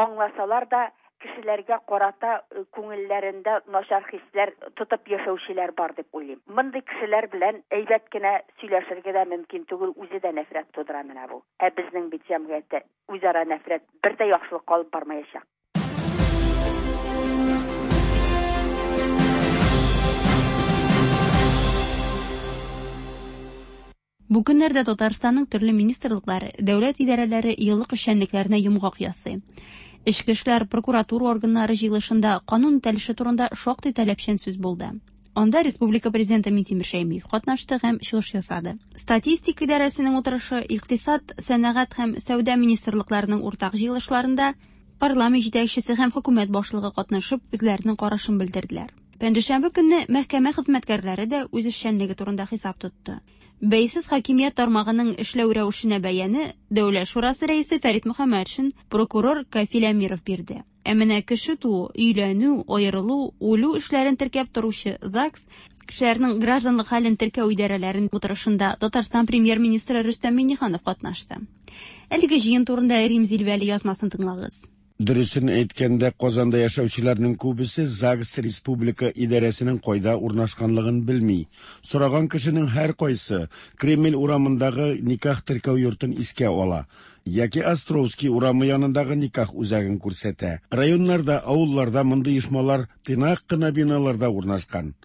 аңласалар да кешеләргә карата күңелләрендә начар хисләр тотып яшәүчеләр бар дип уйлыйм. Мондый кешеләр белән әйбәт кенә сөйләшергә дә мөмкин түгел, үзе дә нәфрәт тудыра менә бу. Ә безнең бит җәмгыятьтә үзара нәфрәт бер дә яхшылыкка алып бармаячак. Бу көннәрдә Татарстанның төрле министрлыклары, дәүләт идарәләре еллык эшчәнлекләренә йомгак ясый. Эчке эшләр, прокуратура органнары җыелышында канун үтәлеше турында шактый таләпчән сүз булды. Анда республика президенты Минтимер Шәймиев катнашты һәм чыгыш ясады. Статистика идарәсенең утырышы, икътисад, сәнәгать һәм сәүдә министрлыкларының уртак җыелышларында парламент җитәкчесе һәм хөкүмәт башлыгы катнашып үзләренең карашын белдерделәр. Пәнҗешәмбе көнне мәхкәмә хезмәткәрләре дә үз эшчәнлеге турында хисап тотты. Бәйсез хакимият тармагының эшләү рәвешенә бәяне Дәүләт шурасы рәисе Фәрит Мөхәммәтшин, прокурор Кафил Әмиров бирде. Ә менә кеше туу, өйләнү, аерылу, үлү эшләрен теркәп торучы ЗАГС, кешеләрнең гражданлык хәлен теркәү идарәләрен утырышында Татарстан премьер-министры Рөстәм Миңнеханов катнашты. Әлеге җыен турында Рим Зилвәли язмасын тыңлагыз. Дөресен әйткәндә, Казанда яшәүчеләрнең күбесе ЗАГС республика идарәсенең кайда урнашканлыгын белми. Сораган кешенең һәр кайсы Кремль урамындагы никах теркәү йортын искә ала яки Островский урамы янындагы никах үзәген күрсәтә. Районнарда, авылларда мондый оешмалар тыйнак кына биналарда урнашкан.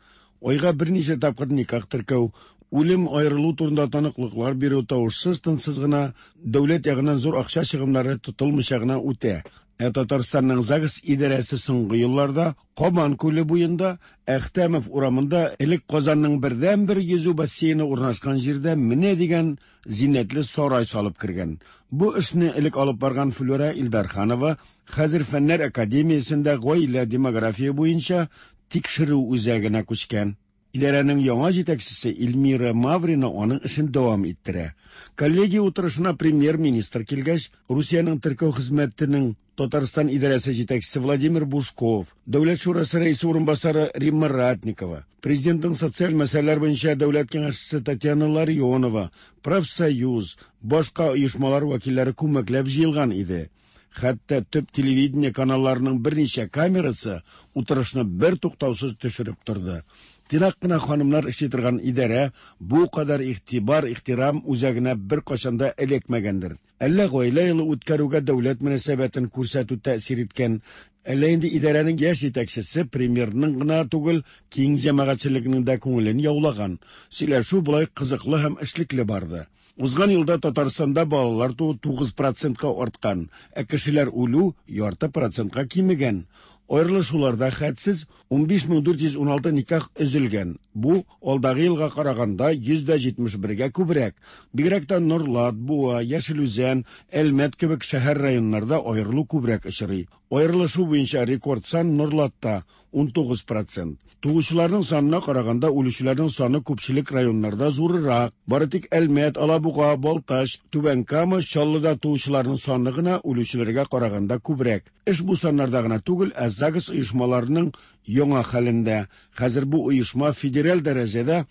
Айга берничә тапкыр никах теркәү, үлем аерылу турында таныклыклар бирү тавышсыз тынсыз гына, дәүләт ягыннан зур акча чыгымнары тотылмыйча гына үтә. Ә Татарстанның ЗАГС идарәсе соңгы елларда Кабан күле буенда, Әхтәмов урамында элек Казанның бердәнбер йөзү бассейны урнашкан җирдә менә дигән зиннәтле сарай салып кергән. Бу эшне элек алып барган Флюра Илдарханова хәзер Фәннәр академиясендә гаилә демография буенча тикшерү үзәгенә күчкән. Идарәнең яңа җитәкчесе Эльмира Маврина аның эшен дәвам иттерә. Коллегия утырышына премьер-министр килгәч, Русиянең теркәү хезмәтенең Татарстан идарәсе җитәкчесе Владимир Бушков, Дәүләт шурасы рәисе урынбасары Римма Ратникова, президентның социаль мәсьәләләр буенча дәүләт киңәшчесе Татьяна Ларионова, профсоюз, башка оешмалар вәкилләре күмәкләп җыелган иде. Хәтта төп телевидение каналларының берничә камерасы утырышны бер туктаусыз төшереп торды. Тыйнак кына ханымнар эшли торган идарә бу кадәр игътибар, ихтирам үзәгенә бер кайчан да эләкмәгәндер. Әллә гаилә елы үткәрүгә дәүләт мөнәсәбәтен күрсәтү тәэсир иткән, әллә инде идарәнең яшь җитәкчесе премьерның гына түгел, киң җәмәгатьчелекнең дә күңелен яулаган. Сөйләшү болай кызыклы һәм эшлекле барды. Узган елда Татарстанда балалар туу тугыз процентка арткан, ә кешеләр үлү ярты процентка кимегән. Аерылышуларда хәтсез унбиш мең дүрт йөз уналты никах өзелгән. Бу алдагы елга караганда йөз дә җитмеш бергә күбрәк. Бигрәк тә Нурлат, Буа, Яшел Үзән, Әлмәт кебек шәһәр районнарда аерылу күбрәк очрый. Аерылышу буенча рекорд сан Нурлатта унтугыз процент. Туучыларның санына караганда үлүчеләрнең саны күпчелек районнарда зуррак. Бары тик Әлмәт, Алабуга, Балтач, Түбән Кама, Чаллыда туучыларның саны гына үлүчеләргә караганда күбрәк. Эш бу саннарда гына түгел, ә ЗАГС оешмаларының яңа хәлендә. Хәзер бу оешма федераль дәрәҗәдә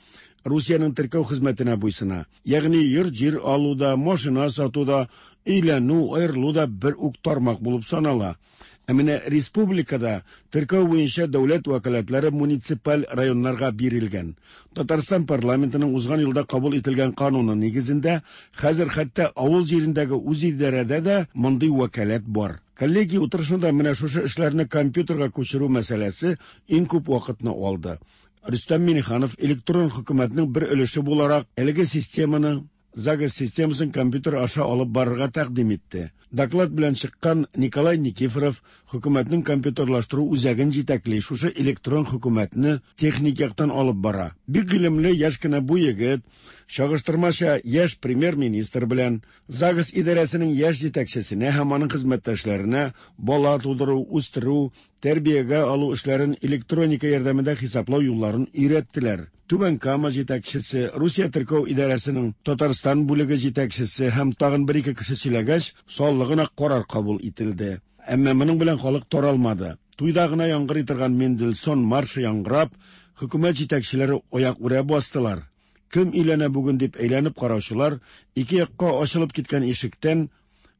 Русиянең теркәү хезмәтенә буйсына. Ягъни йорт-җир алуда, машина сатуда, өйләнү, аерылу да бер үк тармак булып санала. Ә менә республикада теркәү буенча дәүләт вәкаләтләре муниципаль районнарга бирелгән. Татарстан парламентының узган елда кабул ителгән кануны нигезендә хәзер хәтта авыл җирендәге үз идарәдә дә мондый вәкаләт бар. Коллегия утырышында менә шушы эшләрне компьютерга күчерү мәсьәләсе иң күп вакытны алды. Рөстәм Миңнеханов электрон хөкүмәтнең бер өлеше буларак әлеге системаны, ЗАГС системасын компьютер аша алып барырга тәкъдим итте. Доклад белән чыккан Николай Никифоров хөкүмәтнең компьютерлаштыру үзәген җитәкли, шушы электрон хөкүмәтне техник яктан алып бара. Бик гыйлемле яшь кенә бу егет чагыштырмача яшь премьер-министр белән ЗАГС идарәсенең яшь җитәкчесенә һәм аның хезмәттәшләренә бала тудыру, үстерү, тәрбиягә алу эшләрен электроника ярдәмендә хисаплау юлларын өйрәттеләр. Түбән Кама җитәкчесе, Русия теркәү идарәсенең Татарстан бүлеге җитәкчесе һәм тагын бер-ике кеше сөйләгәч, саллы гына карар кабул ителде. Әмма моның белән халык таралмады. Туйда гына яңгырый торган Мендельсон маршы яңгырап, хөкүмәт җитәкчеләре аяк үрә бастылар. Кем өйләнә бүген дип әйләнеп караучылар ике якка ачылып киткән ишектән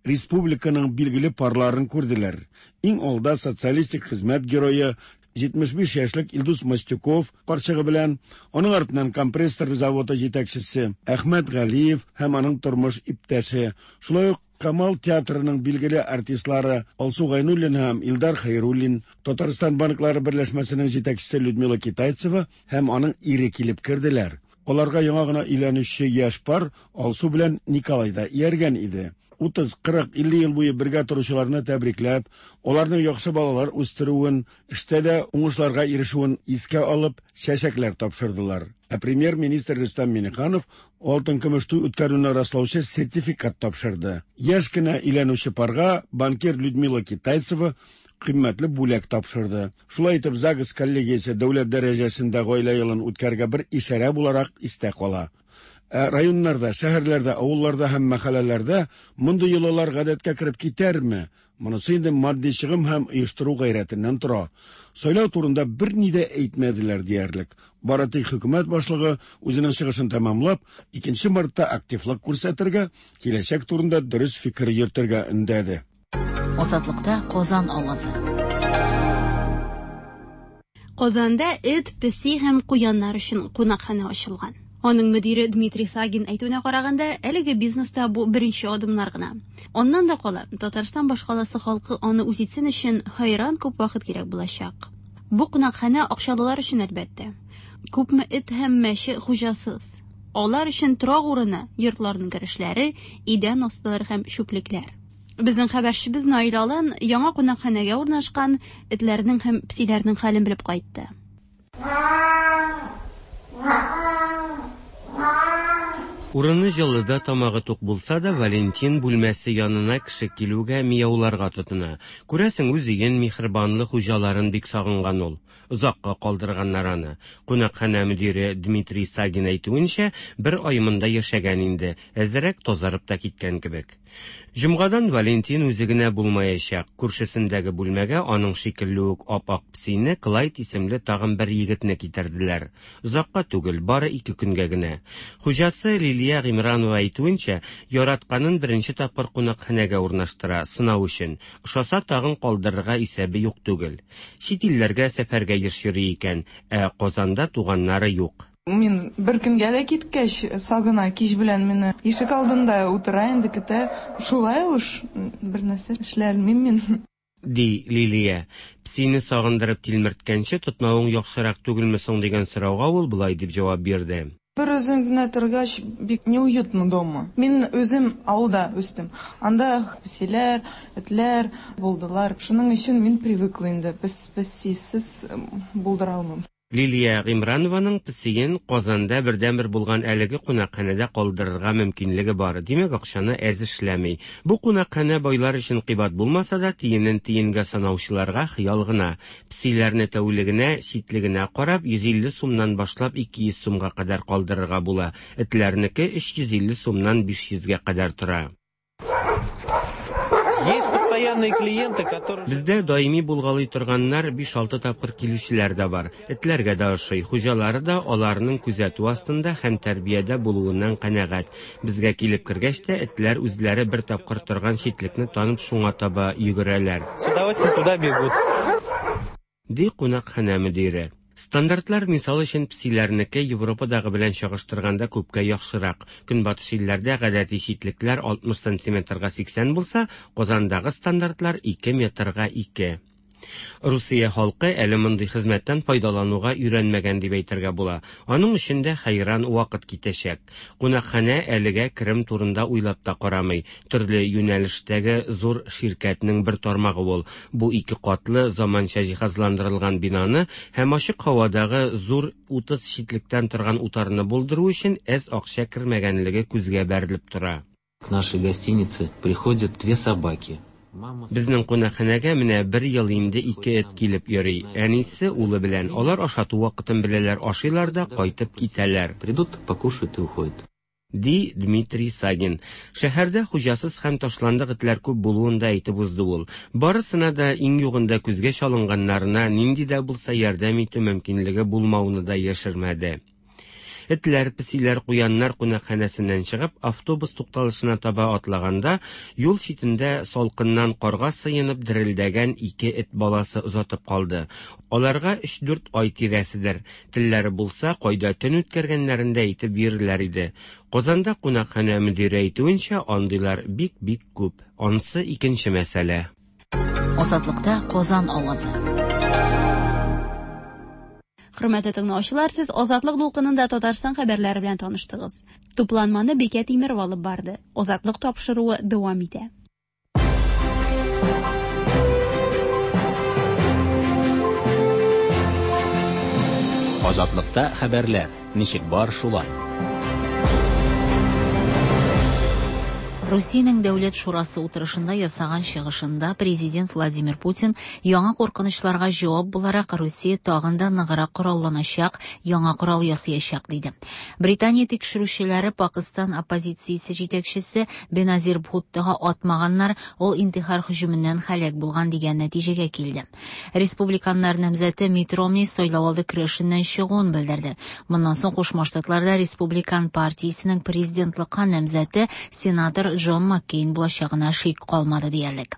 республиканың билгеле парларын күрделәр. Иң алда социалистик хезмәт герое җитмеш биш яшьлек Илдус Мостюков карчыгы белән, аның артыннан компрессор заводы җитәкчесе Әхмәт Галиев һәм аның тормыш иптәше, шулай ук Камал театрының билгеле артистлары Алсу Гайнуллин һәм Илдар Хәйруллин, Татарстан банклары берләшмәсенең җитәкчесе Людмила Китайцева һәм аның ире килеп керделәр. Аларга яңа гына өйләнүче яшь пар Алсу белән Николай да ияргән иде. Утыз, кырык, илле ел буе бергә торучыларны тәбрикләп, аларның яхшы балалар үстерүен, эштә дә уңышларга ирешүен искә алып, чәчәкләр тапшырдылар. Ә премьер-министр Рөстәм Миңнеханов алтын көмеш туй үткәрүне раслаучы сертификат тапшырды. Яшь кенә өйләнүче парга банкир Людмила Китайцева кыйммәтле бүләк тапшырды. Шулай итеп, ЗАГС коллегиясе дәүләт дәрәҗәсендә гаилә елын үткәргә бер ишарә буларак истә кала. Ә районнарда, шәһәрләрдә, авылларда һәм мәхәлләләрдә мондый йолалар гадәткә кереп китәрме? Монысы инде матди чыгым һәм оештыру гайрәтеннән тора. Сайлау турында берни дә әйтмәделәр диярлек. Бары тик хөкүмәт башлыгы үзенең чыгышын тәмамлап, икенче мартта активлык күрсәтергә, киләчәк турында дөрес фикер йөртергә өндәде. Азатлыкта Казан авазы. Казанда эт, песи һәм куяннар өчен кунакханә ачылган. Аның мөдире Дмитрий Сагин әйтүенә караганда, әлеге бизнеста бу беренче адымнар гына. Аннан да кала, Татарстан башкаласы халкы аны үз итсен өчен хайран күп вакыт кирәк булачак. Бу кунакханә акчалылар өчен әлбәттә. Күпме эт һәм мәче хуҗасыз. Алар өчен торак урыны, йортларның керешләре, идән астылары һәм чүплекләр. Безнең хәбәрчебез Наил Алан яңа кунакханәгә урнашкан этләрнең һәм песиләрнең хәлен белеп кайтты. Урыны җылыда тамагы тук булса да, Валентин бүлмәсе янына кеше килүгә мияуларга тотына. Күрәсең, үз өен, миһербанлы хуҗаларын бик сагынган ул. Озакка калдырганнар аны. Кунакханә мөдире Дмитрий Сагин әйтүенчә, бер ай монда яшәгән инде, әзрәк тазарып та киткән кебек. Җомгадан Валентин үзе генә булмаячак. Күршесендәге бүлмәгә аның шикелле үк ап-ак песине Клайд исемле тагын бер егетне китерделәр. Озакка түгел, бары ике көнгә генә. Хуҗасы Лилия Гимранова әйтүенчә, яратканын беренче тапкыр кунакханәгә урнаштыра, сынау өчен. Ошаса тагын калдырырга исәбе юк түгел. Чит илләргә сәфәргә еш йөри икән, ә Казанда туганнары юк. Мин бер көнгә дә киткәч, сагына кич белән мине ишек алдында утыра инде көтә. Шулай уж бер нәрсә эшли алмыйм мин. Ди Лилия. Песине сагындырып тилмерткәнче тотмавың яхшырак түгелме соң дигән сорауга ул болай дип җавап бирде. Бер үзем генә торгач, бик неуютно дома. Мин үзем авылда үстем. Анда песиләр, этләр булдылар. Шуның өчен мин привыкла инде. Пес, песисез булдыра алмыйм. Лилия Гимранованың песиен Казанда бердәнбер булган әлеге кунакханәдә калдырырга мөмкинлеге бар. Димәк, акчаны әз эшләми. Бу кунакханә байлар өчен кыйбат булмаса да, тиенен тиенгә санаучыларга хыял гына. Песиләрне тәүлегенә, читлегенә карап, йөз илле сумнан башлап ике йөз сумга кадәр калдырырга була. Этләрнеке өч йөз илле сумнан биш йөзгә кадәр тора. Есть постоянные клиенты, которые... Бездә даими булгалый торганнар биш-алты тапкыр килүчеләр дә бар. Этләргә дә ошый, хуҗалары да аларның күзәтү астында һәм тәрбиядә булуыннан канәгать. Безгә килеп кергәч тә этләр үзләре бер тапкыр торган читлекне танып шуңа таба йөгерәләр. С удовольствием туда бегут. Ди кунакханә мөдире. Стандартлар мисал өчен песиләрнеке Европадагы белән чагыштырганда күпкә яхшырак. Көнбатыш илләрдә гадәти читлекләр алтмыш сантиметрга сиксән булса, Казандагы стандартлар ике метрга ике. Русия халкы әле мондый хезмәттән файдалануга өйрәнмәгән дип әйтергә була. Аның өчен дә хәйран вакыт китәчәк. Кунакханә әлегә керем турында уйлап та карамый. Төрле юнәлештәге зур ширкәтнең бер тармагы ул. Бу ике катлы заманча җиһазландырылган бинаны һәм ачык һавадагы зур утыз читлектән торган утарны булдыру өчен әз акча кермәгәнлеге күзгә бәрелеп тора. К нашей гостинице приходят две собаки. Безнең кунакханәгә менә бер ел инде ике эт килеп йөри. Әнисе улы белән. Алар ашату вакытын беләләр, ашыйлар да кайтып китәләр. Придут, покушают и уходят. Ди Дмитрий Сагин. Шәһәрдә хуҗасыз һәм ташландык этләр күп булуын да әйтеп узды ул. Барысына да иң югында күзгә чалынганнарына нинди дә булса ярдәм итү мөмкинлеге булмавын да яшермәде. Этләр, песиләр, куяннар кунакханәсеннән чыгып, автобус тукталышына таба атлаганда, юл читендә салкыннан карга сыенып дерелдәгән ике эт баласы озатып калды. Аларга өч-дүрт ай тирәседер. Телләре булса, кайда төн үткәргәннәрен дә әйтеп бирерләр иде. Казанда кунакханә мөдире әйтүенчә, андыйлар бик-бик күп. Ансы икенче мәсьәлә. Азатлыкта Казан авазы. Хөрмәтле тыңлаучылар, сез Азатлык дулкынында Татарстан хәбәрләре белән таныштыгыз. Тупланманы Бикә Тимерова алып барды. Азатлык тапшыруы дәвам итә. Азатлыкта хәбәрләр ничек бар шулай. Русиянең Дәүләт шурасы утырышында ясаган чыгышында президент Владимир Путин яңа куркынычларга җавап буларак Русия тагын да ныграк коралланачак, яңа корал ясаячак диде. Британия тикшерүчеләре Пакыстан оппозициясе җитәкчесе Беназир Бхуттога атмаганнар, ул интихар һөҗүменнән һәлак булган дигән нәтиҗәгә килде. Республиканнар намзәте Митт Ромни сайлау алды көрәшеннән чыгуын белдерде. Моннан соң Кушма Штатларда Республикан партиясенең президентлыкка намзәте сенатор Джон Маккейн булачагына шик калмады диярлек.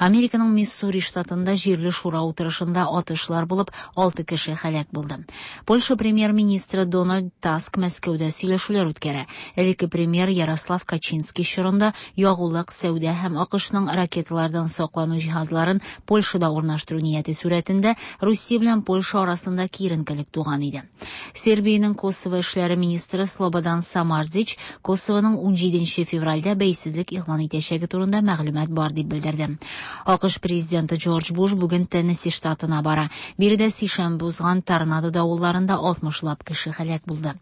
Американың Миссури штатында җирле шура утырышында атышлар булып, алты кеше һәлак булды. Польша премьер-министры Дональд Таск Мәскәүдә сөйләшүләр үткәрә. Элекке премьер Ярослав Качинский чорында ягулык, сәүдә һәм АКШның ракеталардан саклану җиһазларын Польшада урнаштыру нияте сурәтендә Русия белән Польша арасында киеренкелек туган иде. Сербиянең Косово эшләре министры Слободан Самардзич Косовоның унҗиденче февральдә бәйсезлек игълан итәчәге турында мәгълүмат бар дип белдерде. АКШ президенты Джордж Буш бүген Теннесси штатына бара. Биредә сишәмбе узган торнадо давылларында алтмышлап кеше һәлак булды.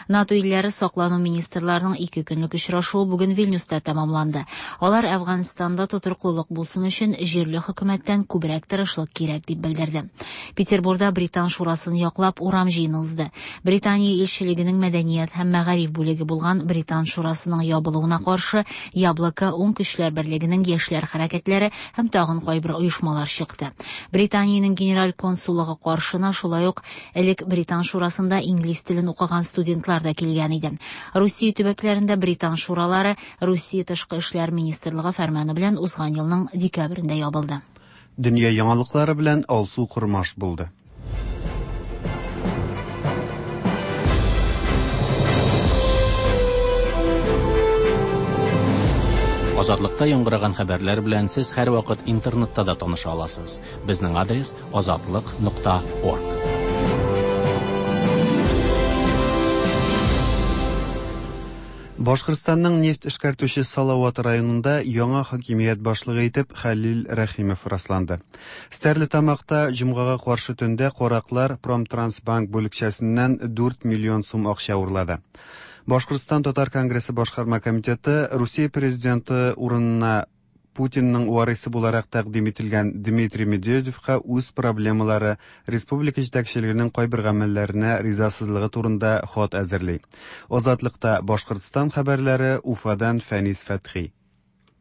НАТО илләре саклану министрларының ике көнлек очрашуы бүген Вильнюста тәмамланды. Алар Әфганстанда тотрыклылык булсын өчен җирле хөкүмәттән күбрәк тырышлык кирәк дип белдерде. Петербурда Британ шурасын яклап урам җыены узды. Британия илчелегенең мәдәният һәм мәгариф бүлеге булган Британ шурасының ябылуына каршы Яблоко уң көчләр берлегенең яшьләр хәрәкәтләре һәм тагын кайбер оешмалар чыкты. Британиянең генераль консуллыгы каршына шулай ук элек Британ шурасында инглиз телен укыган студентлар да килгән иде. Русия төбәкләрендә Британ шуралары Русия тышкы эшләр министрлыгы фәрманы белән узган елның декабрендә ябылды. Дөнья яңалыклары белән Алсу Кормаш булды. Азатлыкта яңгыраган хәбәрләр белән сез һәрвакыт интернетта да таныша аласыз. Безнең адрес азатлык нокта орг. Башкортстанның нефть эшкәртүче Салават районында яңа хакимият башлыгы итеп Хәлил Рәхимов расланды. Стәрлетамакта җомгага каршы төндә караклар Промтрансбанк бүлекчәсеннән дүрт миллион сум акча урлады. Башкортстан Татар Конгрессы башкарма комитеты Русия президенты урынына Путинның варисы буларак тәкъдим ителгән Дмитрий Медведевка үз проблемалары, республика җитәкчелегенең кайбер гамәлләренә ризасызлыгы турында хат әзерли. Азатлыкта Башкортстан хәбәрләре Уфадан Фәнис Фәтхи.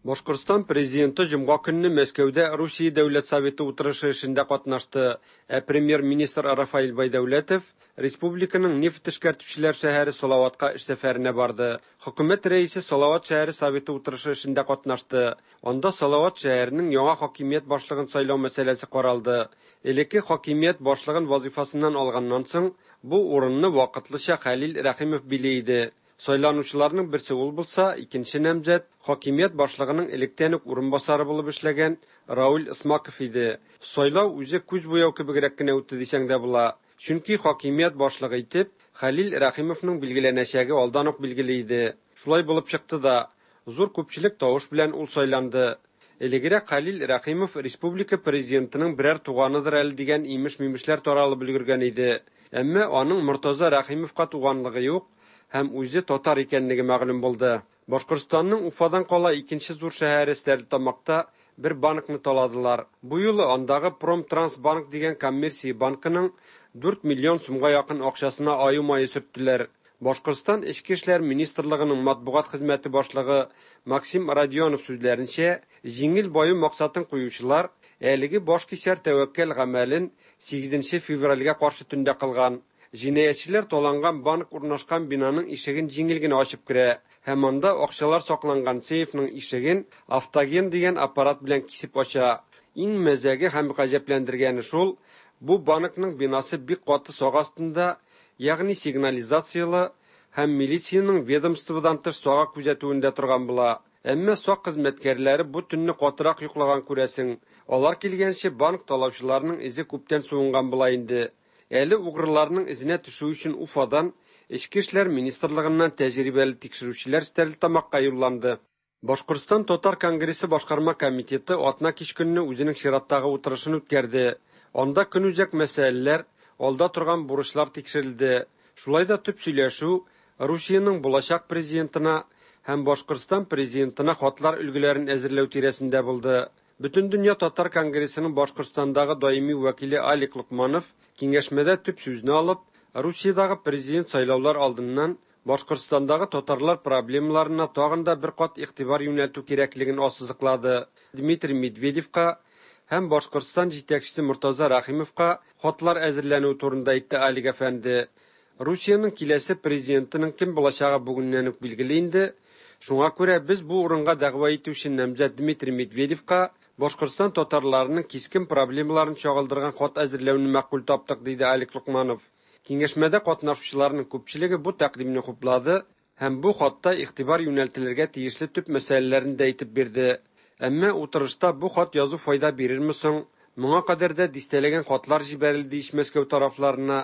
Башкортстан президенты җомга көнне Мәскәүдә Русия Дәүләт Советы утырышы эшендә катнашты. Ә премьер-министр Рафаэль Байдәүләтов республиканың нефть эшкәртүчеләр шәһәре Салаватка эш сәфәренә барды. Хөкүмәт рәисе Салават шәһәре Советы утырышы эшендә катнашты. Анда Салават шәһәренең яңа хакимият башлыгын сайлау мәсьәләсе каралды. Элекке хакимият башлыгын вазифасыннан алганнан соң бу урынны вакытлыча Хәлил Рәхимов били иде. Сайланучыларның берсе ул булса, икенче намзәт хакимият башлыгының электән үк урынбасары булып эшләгән Рауль Исмаков иде. Сайлау үзе күз буяу кебегрәк кенә үтте дисәң дә була. Чөнки хакимият башлыгы итеп Хәлил Рәхимовның билгеләнәчәге алдан ук билгеле иде. Шулай булып чыкты да, зур күпчелек тавыш белән ул сайланды. Элегрәк Хәлил Рәхимов республика президентының берәр туганыдыр әле дигән имеш-мимешләр таралып өлгергән иде. Әмма аның Мортаза Рәхимовка туганлыгы юк һәм үзе татар икәнлеге мәгълүм булды. Башкортстанның Уфадан кала икенче зур шәһәре Стәрлетамакта бер банкны таладылар. Бу юлы андагы Промтрансбанк дигән коммерция банкының дүрт миллион сумга якын акчасына аю мае сөрттеләр. Башкортстан Эчке эшләр министрлыгының матбугат хезмәте башлыгы Максим Родионов сүзләренчә, җиңел баю максатын куючылар әлеге башкисәр тәвәккәл гамәлен сигезенче февральгә каршы төндә кылган. Җинаятьчеләр таланган банк урнашкан бинаның ишеген җиңел генә ачып керә һәм анда акчалар сакланган сейфның ишеген автоген дигән аппарат белән кисеп ача. Иң мәзәге һәм гаҗәпләндергәне шул, бу банкның бинасы бик каты сак астында, ягъни сигнализациялы һәм милициянең ведомстводан тыш сага күзәтүендә торган була. Әмма сак хезмәткәрләре бу төнне катырак йоклаган күрәсең. Алар килгәнче банк талаучыларының эзе күптән суынган була инде. Әле угрыларның эзенә төшү өчен Уфадан Эчке эшләр министрлыгыннан тәҗрибәле тикшерүчеләр Стәрлетамакка юлланды. Башкортстан Татар конгрессы башкарма комитеты атна кич көнне үзенең чираттагы утырышын үткәрде. Анда көнүзәк мәсьәләләр, алда торган бурычлар тикшерелде. Шулай да төп сөйләшү Русиянең булачак президентына һәм Башкортстан президентына хатлар өлгеләрен әзерләү тирәсендә булды. Бөтендөнья Татар конгрессының Башкортстандагы даими вәкиле Алик Локманов киңәшмәдә төп сүзне алып, Русиядагы президент сайлаулар алдыннан Башкортстандагы татарлар проблемаларына тагын да бер кат игътибар юнәлтү кирәклеген ассызыклады. Дмитрий Медведевка һәм Башкортстан җитәкчесе Мортаза Рәхимовка хатлар әзерләнү турында әйтте Алик әфәнде. Русиянең киләсе президентының кем булачагы бүгеннән үк билгеле инде. Шуңа күрә без бу урынга дәгъва итүче намзәт Дмитрий Медведевка Башкортстан татарларының кискен проблемаларын чагылдырган хат әзерләүне мәкъбул таптык, диде Алик Локманов. Киңәшмәдә катнашучыларның күпчелеге бу тәкъдимне хуплады һәм бу хатта игътибар юнәлтелергә тиешле төп мәсьәләләрен дә әйтеп бирде. Әмма утырышта бу хат язу файда бирерме соң? Моңа кадәр дә дистәләгән хатлар җибәрелде ич Мәскәү тарафларына,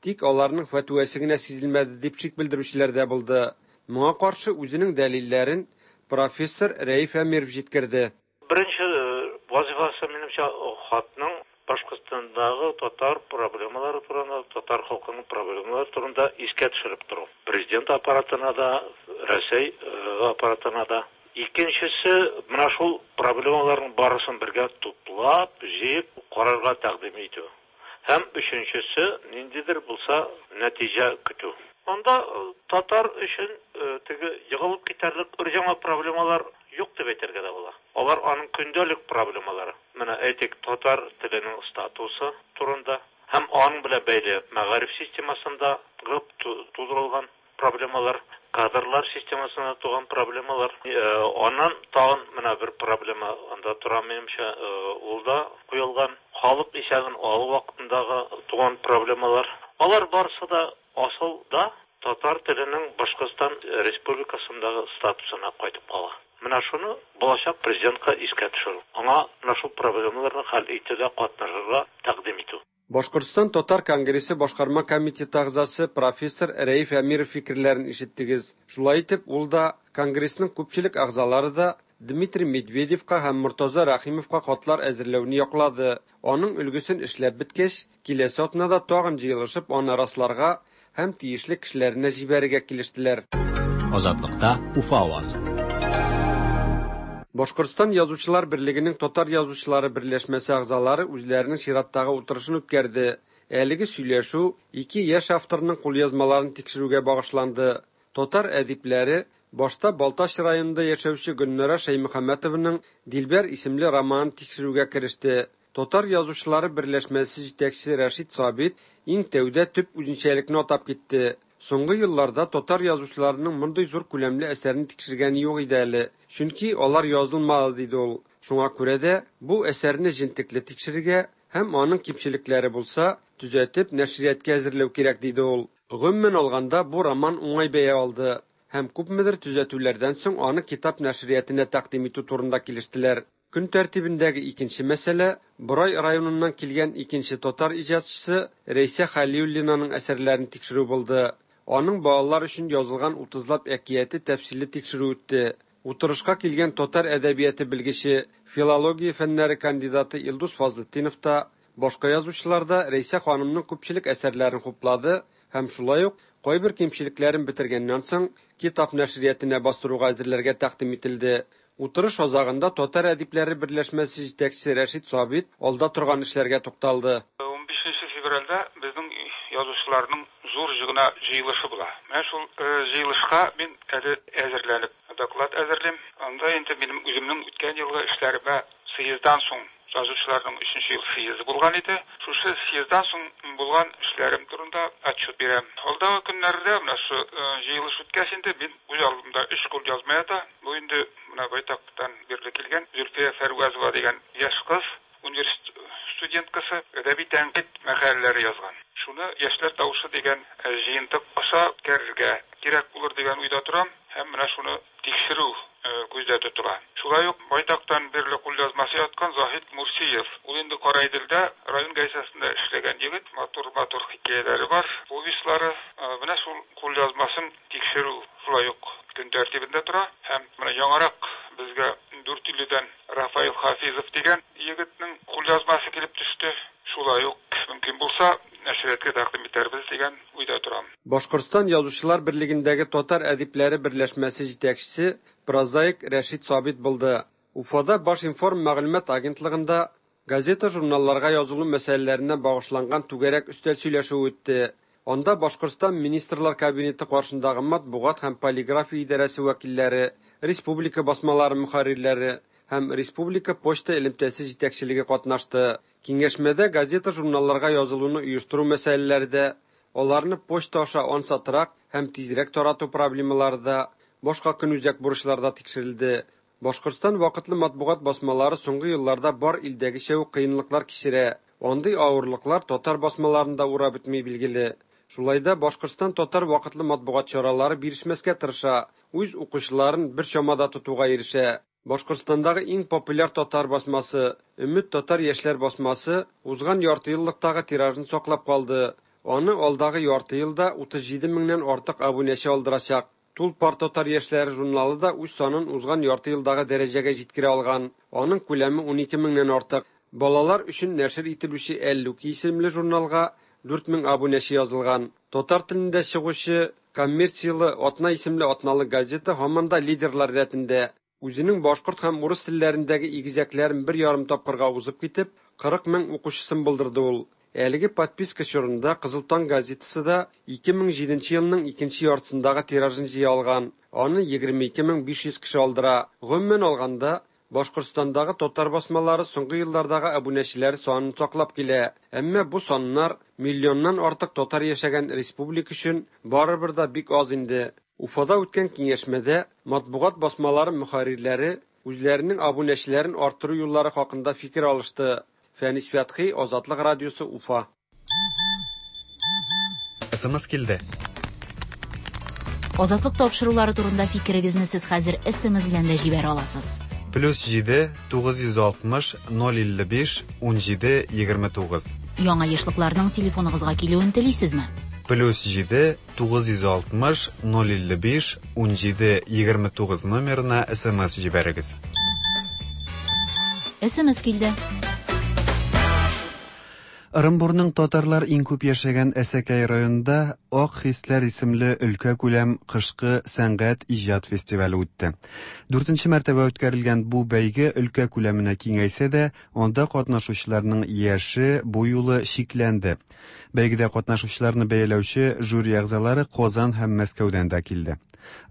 тик аларның фәтвәсе генә сизелмәде дип шик белдерүчеләр дә булды. Моңа каршы үзенең дәлилләрен профессор Рәиф Әмиров җиткерде. Беренче вазифасы минемчә хатның Башкортстандагы татар проблемалары турында, татар халкының проблемалары турында искә төшереп тору. Президент аппаратына да, Рәсәй аппаратына да. Икенчесе, менә шул проблемаларның барысын бергә туплап, җыеп, карарга тәкъдим итү. Һәм өченчесе, ниндидер булса нәтиҗә көтү. Анда татар өчен теге егылып китәрлек өр-яңа проблемалар юк дип әйтергә дә була. Алар аның көндәлек проблемалары. Менә әйтик, татар теленең статусы турында һәм аның белән бәйле мәгариф системасында тудырылган проблемалар, кадрлар системасында туган проблемалар. Аннан тагын менә бер проблема анда тора минемчә, ул да куелган халык исәбен алу вакытындагы туган проблемалар. Алар барысы да асылда татар теленең Башкортстан Республикасындагы статусына кайтып кала. Менә шуны булачак президентка искә төшерү. Аңа менә шул проблемаларны хәл итүдә катнашырга тәкъдим итү. Башкортстан Татар конгрессы башкарма комитеты әгъзасы профессор Рәиф Әмиров фикерләрен ишеттегез. Шулай итеп, ул да, конгрессның күпчелек әгъзалары да Дмитрий Медведевка һәм Мортаза Рәхимовка хатлар әзерләүне яклады. Аның өлгесен эшләп беткәч, киләсе атнада тагын җыелышып, аны расларга һәм тиешле кешеләренә җибәрергә килештеләр. Азатлыкта Уфа авазы. Башкортстан Язучылар берлегенең Татар язучылары берләшмәсе әгъзалары үзләренең чираттагы утырышын үткәрде. Әлеге сөйләшү ике яшь авторның кулъязмаларын тикшерүгә багышланды. Татар әдипләре башта Балтач районында яшәүче Гөлнара Шәймөхәммәтованың Дилбәр исемле романын тикшерүгә кереште. Татар язучылары берләшмәсе җитәкчесе Рәшит Сабит иң тәүдә төп үзенчәлекне атап китте. Соңгы елларда татар язучыларының мондый зур күләмле әсәрне тикшергәне юк иде әле, чөнки алар язылмады, диде ул. Шуңа күрә дә бу әсәрне җентекле тикшерергә һәм аның кимчелекләре булса, төзәтеп нәшрияткә әзерләү кирәк, диде ул. Гомумән алганда, бу роман уңай бәя алды һәм күпмедер төзәтүләрдән соң аны китап нәшриятына тәкъдим итү турында килештеләр. Көн тәртибендәге икенче мәсьәлә Борай районыннан килгән икенче татар иҗатчысы Рәйсә Хәлиуллинаның әсәрләрен тикшерү булды. Аның балалар өчен язылган утызлап әкияте тәфсилле тикшерү үтте. Утырышка килгән татар әдәбияты белгече, филология фәннәре кандидаты Илдус Фазлетдинов та, башка язучылар да Рәйсә ханымның күпчелек әсәрләрен хуплады һәм шулай ук кайбер кимчелекләрен бетергәннән соң китап нәшриятына бастыруга әзерләргә тәкъдим ителде. Утырыш азагында Татар әдипләре берләшмәсе җитәкчесе Рәшит Сабит алда торган эшләргә тукталды. Унбишенче февральдә безнең язучыларның зур җыгына җыелышы була. Менә шул җыелышка мин әле әзерләнеп доклад әзерлим. Анда инде минем үземнең үткән елгы эшләремә съезддан соң язучыларның өченче ел съезды булган иде. Шушы съезддан соң булган эшләрем турында хакта отчет бирәм. Алдагы көннәрдә менә шу җыелыш үткәч инде мин үз алдымда өч кулъязма ята. Бу инде менә байтактан бирле килгән Зөлфия Фәрвазова дигән яшь кыз, университет студенткасы, әдәби тәнкыйть мәкаләләре язган. Шуны Яшьләр тавышы дигән җыентык аша үткәрергә кирәк булыр дигән уйда торам һәм менә шуны тикшерү күздә тотыла. Шулай ук байтактан бирле кулъязмасы яткан Заһид Мурсиев. Ул инде Караиделдә район газетасында эшләгән егет, матур-матур хикәяләре бар, повестьлары. Менә шул кулъязмасын тикшерү шулай ук көн тәртибендә тора һәм менә яңарак безгә Дүртөйледән Рафаил Хафизов дигән егетнең кулъязмасы килеп төште. Шулай ук мөмкин булса нәшриятка тәкъдим итәрбез дигән уйда торам. Башкортстан Язучылар берлегендәге татар әдипләре берләшмәсе җитәкчесе прозаик Рәшит Сабит булды. Уфада Башинформ мәгълүмат агентлыгында газета-журналларга язылу мәсьәләләренә багышланган түгәрәк өстәл сөйләшүе үтте. Анда Башкортстан Министрлар Кабинеты каршындагы матбугат һәм полиграфия идарәсе вәкилләре, республика басмалары мөхәррирләре һәм республика почта элемтәсе җитәкчелеге катнашты. Киңәшмәдә газета-журналларга язылуны оештыру мәсьәләләре дә, аларны почта аша ансатрак һәм тизрәк тарату проблемалары да, башка көнүзәк бурычлар да тикшерелде. Башкортстан вакытлы матбугат басмалары соңгы елларда бар илдәгечә үк кыенлыклар кичерә. Андый авырлыклар татар басмаларында урап үтми билгеле. Шулай да Башкортстан татар вакытлы матбугат чаралары бирешмәскә тырыша, үз укучыларын бер чамада тотуга ирешә. Башкортстандагы иң популяр татар басмасы Өмет татар яшьләр басмасы узган ярты еллыктагы тиражын саклап калды. Аны алдагы ярты елда утыз җиде меңнән артык абунәче алдырачак. Тулпар татар яшьләре журналы да үз санын узган ярты елдагы дәрәҗәгә җиткерә алган. Аның күләме унике меңнән артык. Балалар өчен нәшер ителүче Әллүки исемле журналга дүрт мең абунәче язылган. Татар телендә чыгучы коммерцияле Атна исемле атналык газета һаман да лидерлар рәтендә. Үзенең башкорт һәм урыс телләрендәге игезәкләрен бер ярым тапкырга узып китеп, кырык мең укучысын булдырды ул. Әлеге подписка чорында Кызыл таң газетасы да ике мең җиденче елның икенче яртысындагы тиражын җыя алган. Аны егерме ике мең биш йөз кеше алдыра. Гомумән алганда, Башкортстандагы татар басмалары соңгы еллардагы абунәчеләр санын саклап килә. Әмма бу саннар миллионнан артык татар яшәгән республика өчен барыбер дә бик аз инде. Уфада үткән киңәшмәдә матбугат басмалары мөхәррирләре үзләренең абунәчеләрен арттыру юллары хакында фикер алышты. Фәнис Фәтхи, Азатлык радиосы, Уфа. СМС килде. Азатлык тапшырулары турында фикерегезне сез хәзер СМС белән дә җибәрә аласыз. Плюс җиде, тугыз йөз алтмыш, ноль илле биш, ун җиде, егерме тугыз. Яңа ешлыкларның телефоныгызга килүен телисезме? Плюс җиде, тугыз йөз алтмыш, ноль илле биш, ун җиде, егерме тугыз номерына СМС җибәрегез. СМС килде. Ырымбурның татарлар иң күп яшәгән Әсәкәй районында Ак хисләр исемле өлкә күләм кышкы сәнгать иҗат фестивале үтте. Дүртенче мәртәбә үткәрелгән бу бәйге өлкә күләменә киңәйсә дә, анда катнашучыларның яше бу юлы чикләнде. Бәйгедә катнашучыларны бәяләүче жюри әгъзалары Казан һәм Мәскәүдән дә килде.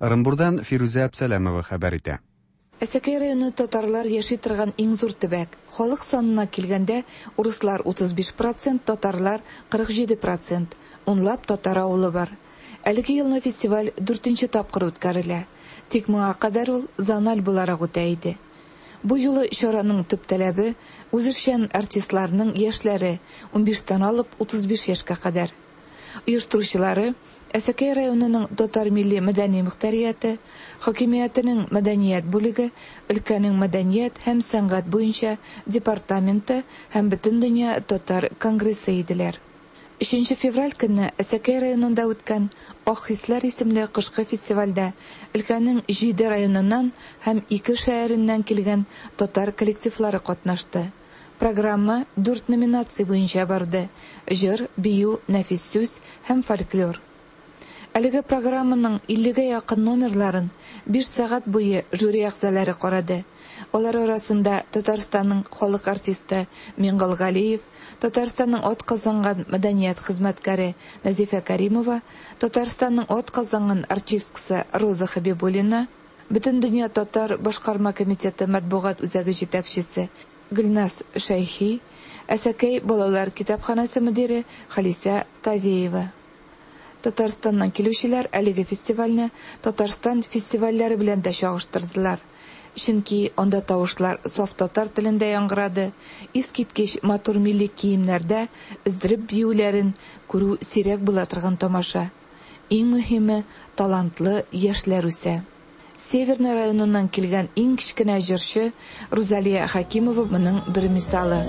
Ырымбурдан Фирүзә Әпсәләмова хәбәр итә. Әсәкәй районы татарлар яши торган иң зур төбәк. Халык санына килгәндә, урыслар утыз биш процент, татарлар кырык җиде процент. Унлап татар авылы бар. Әлеге елны фестиваль дүртенче тапкыр үткәрелә. Тик моңа кадәр ул зональ буларак үтә иде. Бу юлы чараның төп таләбе үзешчән артистларның яшьләре унбиштән алып утыз биш яшькә кадәр. Оештыручылары Әсәкәй районының татар милли мәдәни мөхтәрияте, хакимиятенең мәдәният бүлеге, өлкәнең мәдәният һәм сәнгать буенча департаменты һәм Бөтендөнья татар конгрессы иделәр. Өченче февраль көнне Әсәкәй районында үткән Ак хисләр исемле кышкы фестивальдә өлкәнең җиде районыннан һәм ике шәһәреннән килгән татар коллективлары катнашты. Программа дүрт номинация буенча барды: җыр, бию, нәфис сүз һәм фольклор. Әлеге программаның иллегә якын номерларын биш сәгать буе жюри әгъзалары карады. Алар арасында Татарстанның халык артисты Миңгол Галиев, Татарстанның ат казанган мәдәният хезмәткәре Назифә Каримова, Татарстанның ат казанган артисткасы Роза Хабибуллина, Бөтендөнья татар башкарма комитеты матбугат үзәге җитәкчесе Гөлназ Шәйхи, Әсәкәй балалар китапханәсе мөдире Халисә Тавеева. Татарстаннан килүчеләр әлеге фестивальне Татарстан фестивальләре белән дә чагыштырдылар. Чөнки анда тавышлар саф татар телендә яңгырады, искиткеч матур милли киемнәрдә өздереп биюләрен күрү сирәк була торган тамаша. Иң мөһиме, талантлы яшьләр үсә. Северный районыннан килгән иң кечкенә җырчы Рузалия Хакимова моның бер мисалы.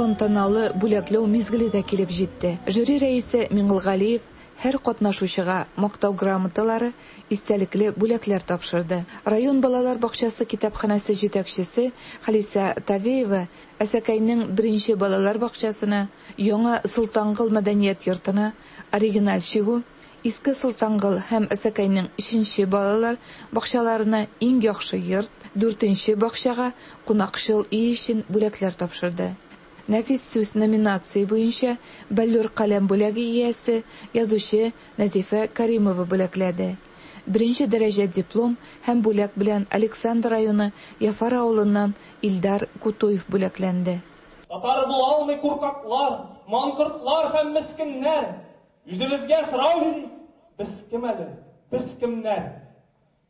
Тантаналы бүләкләү мизгеле дә килеп җитте. Жюри рәисе Миңлегалиев һәр катнашучыга мактау грамоталары, истәлекле бүләкләр тапшырды. Район балалар бакчасы китапханәсе җитәкчесе Халисә Тавеева Әсәкәйнең беренче балалар бакчасына, Яңа Солтангыл мәдәният йортына оригиналь чигү, Иске Солтангыл һәм Әсәкәйнең өченче балалар бакчаларына иң яхшы йорт, дүртенче бакчага кунакчыл өй өчен бүләкләр тапшырды. Нәфис сүз номинация буенча Бәллүр каләм бүләге иясе язучы Нәзифә Каримова бүләкләде. Беренче дәрәҗә диплом һәм бүләк белән Александр районы Яфар авылыннан Илдар Кутуев бүләкләнде. Татар була алмый куркаклар, маңкортлар һәм мескеннәр. Үзебезгә сорау бирик. Без кем әле? Без кемнәр?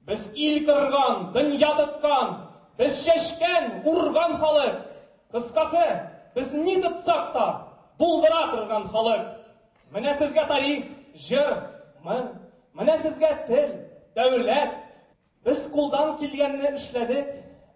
Без ил кырган, дөнья тоткан, без чәчкән, урган халык. Кыскасы, без ни тотсак та булдыра торган халык. Менә сезгә тарих, җыр, моң, менә сезгә тел, дәүләт. Без кулдан килгәнне эшләдек,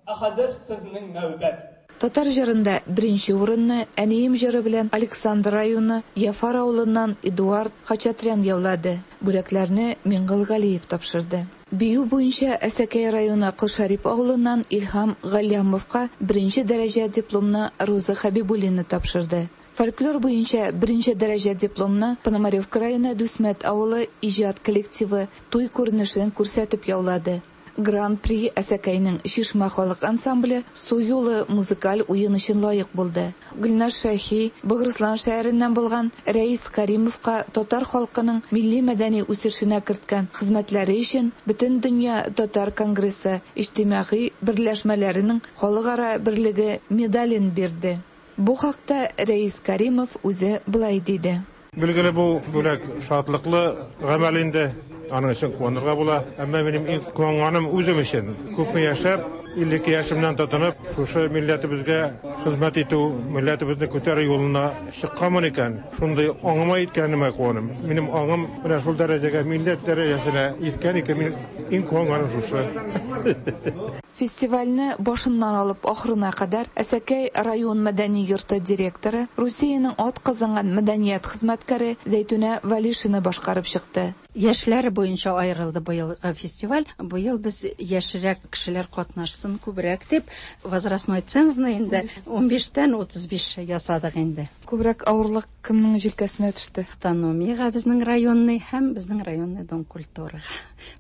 ә хәзер сезнең нәүбәт. Татар җырында беренче урынны Әнием җыры белән Александр районы Яфар авылыннан Эдуард Хачатрян яулады. Бүләкләрне Миңгылгалиев тапшырды. Бию буенча Әсәкәй районы Колшарип авылыннан Илһам Галлямовка беренче дәрәҗә дипломны Роза Хабибуллина тапшырды. Фольклор буенча беренче дәрәҗә дипломны Пономаревка районы Дүсмәт авылы иҗат коллективы туй күренешен күрсәтеп яулады. Гран-при Әсәкәйнең Шишмә халык ансамбле Су юлы музыкаль уен өчен лаек булды. Гөлназ Шәхи Богырыслан шәһәреннән булган Рәис Каримовка татар халкының милли мәдәни үсешенә керткән хезмәтләре өчен Бөтендөнья татар конгрессы иҗтимагый берләшмәләренең халыкара берлеге медален бирде. Бу хакта Рәис Каримов үзе былай диде. Билгеле бу бүләк шатлыклы гамәл инде. Аның өчен куанырга була. Әмма минем иң куанганым үзем өчен. Күпме яшәп, илле ике яшемнән тотынып, шушы милләтебезгә хезмәт итү, милләтебезне күтәрү юлына чыкканмын икән, шундый аңыма иткәнемә куанам. Минем аңым менә шул дәрәҗәгә, милләт дәрәҗәсенә иткән икән, мин иң куанганым шушы. Фестивальне башыннан алып ахырына кадәр Әсәкәй район мәдәни йорты директоры, Русиянең атказанган мәдәният хезмәткәре Зәйтүнә Валишина башкарып чыкты. Яшьләр буенча аерылды быелгы фестиваль. Быел без яшьрәк кешеләр катнашсын күбрәк дип, возрастной цензны инде унбиштән утыз биш ясадык инде. Күбрәк авырлык кемнең җилкәсенә төште? Автономиягә безнең районный һәм безнең районный дом культурага.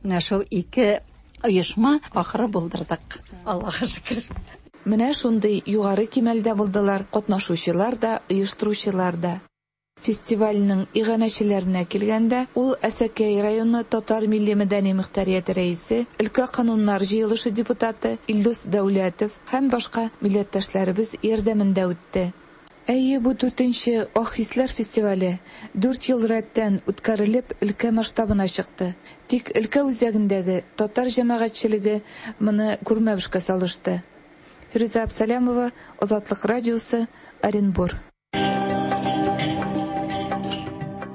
Менә шул ике оешма ахыры булдырдык. Аллаһка шөкер. Менә шундый югары кимәлдә булдылар катнашучылар да, оештыручылар да. Фестивальнең иганәчеләренә килгәндә, ул Әсәкәй районы татар милли мәдәни мөхтәрияте рәисе, өлкә кануннар җыелышы депутаты Илдус Дәүләтов һәм башка милләттәшләребез ярдәмендә үтте. Әйе, бу дүртенче Ак хисләр фестивале дүрт ел рәттән үткәрелеп өлкә масштабына чыкты. Тик өлкә үзәгендәге татар җәмәгатьчелеге моны күрмәмешкә салышты. Фирүзә Абсалямова, Азатлык радиосы, Оренбур.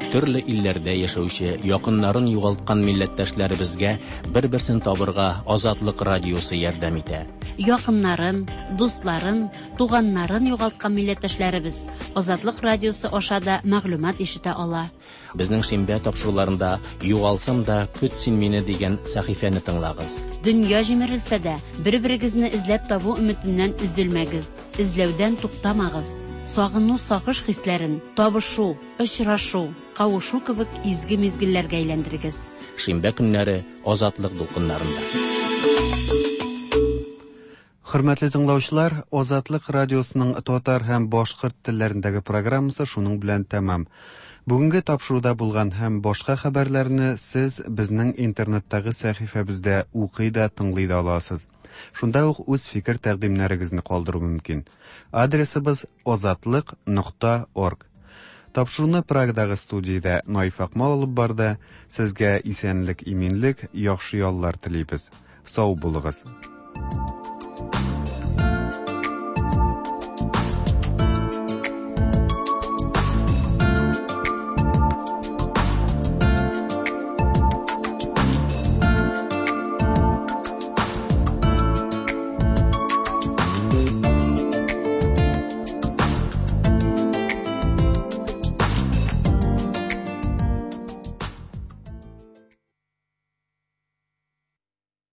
Төрле илләрдә яшәүче, якыннарын югалткан милләттәшләребезгә бер-берсен табырга Азатлык радиосы ярдәм итә. Якыннарын, дусларын, туганнарын югалткан милләттәшләребез Азатлык радиосы аша да мәгълүмат ишетә ала. Безнең шимбә тапшыруларында «Югалсам да, көт син мине» дигән сәхифәне тыңлагыз. Дөнья җимерелсә дә, бер-берегезне эзләп табу өметеннән өзелмәгез, эзләүдән туктамагыз. Сагыну, сагыш хисләрен табышу, очрашу, кавышу кебек изге мизгелләргә әйләндерегез. Шимбә көннәре Азатлык дулкыннарында. Хөрмәтле тыңлаучылар, Азатлык радиосының татар һәм башкорт телләрендәге программасы шуның белән тәмам. Бүгенге тапшыруда булган һәм башка хәбәрләрне сез безнең интернеттагы сәхифәбездә укый да, тыңлый да аласыз. Шунда ук үз фикер тәкъдимнәрегезне калдыру мөмкин. Адресыбыз азатлык нокта орг. Тапшыруны Прагадагы студиядә Наиф Акмал алып барды. Сезгә исәнлек, иминлек, яхшы яллар телибез. Сау булыгыз.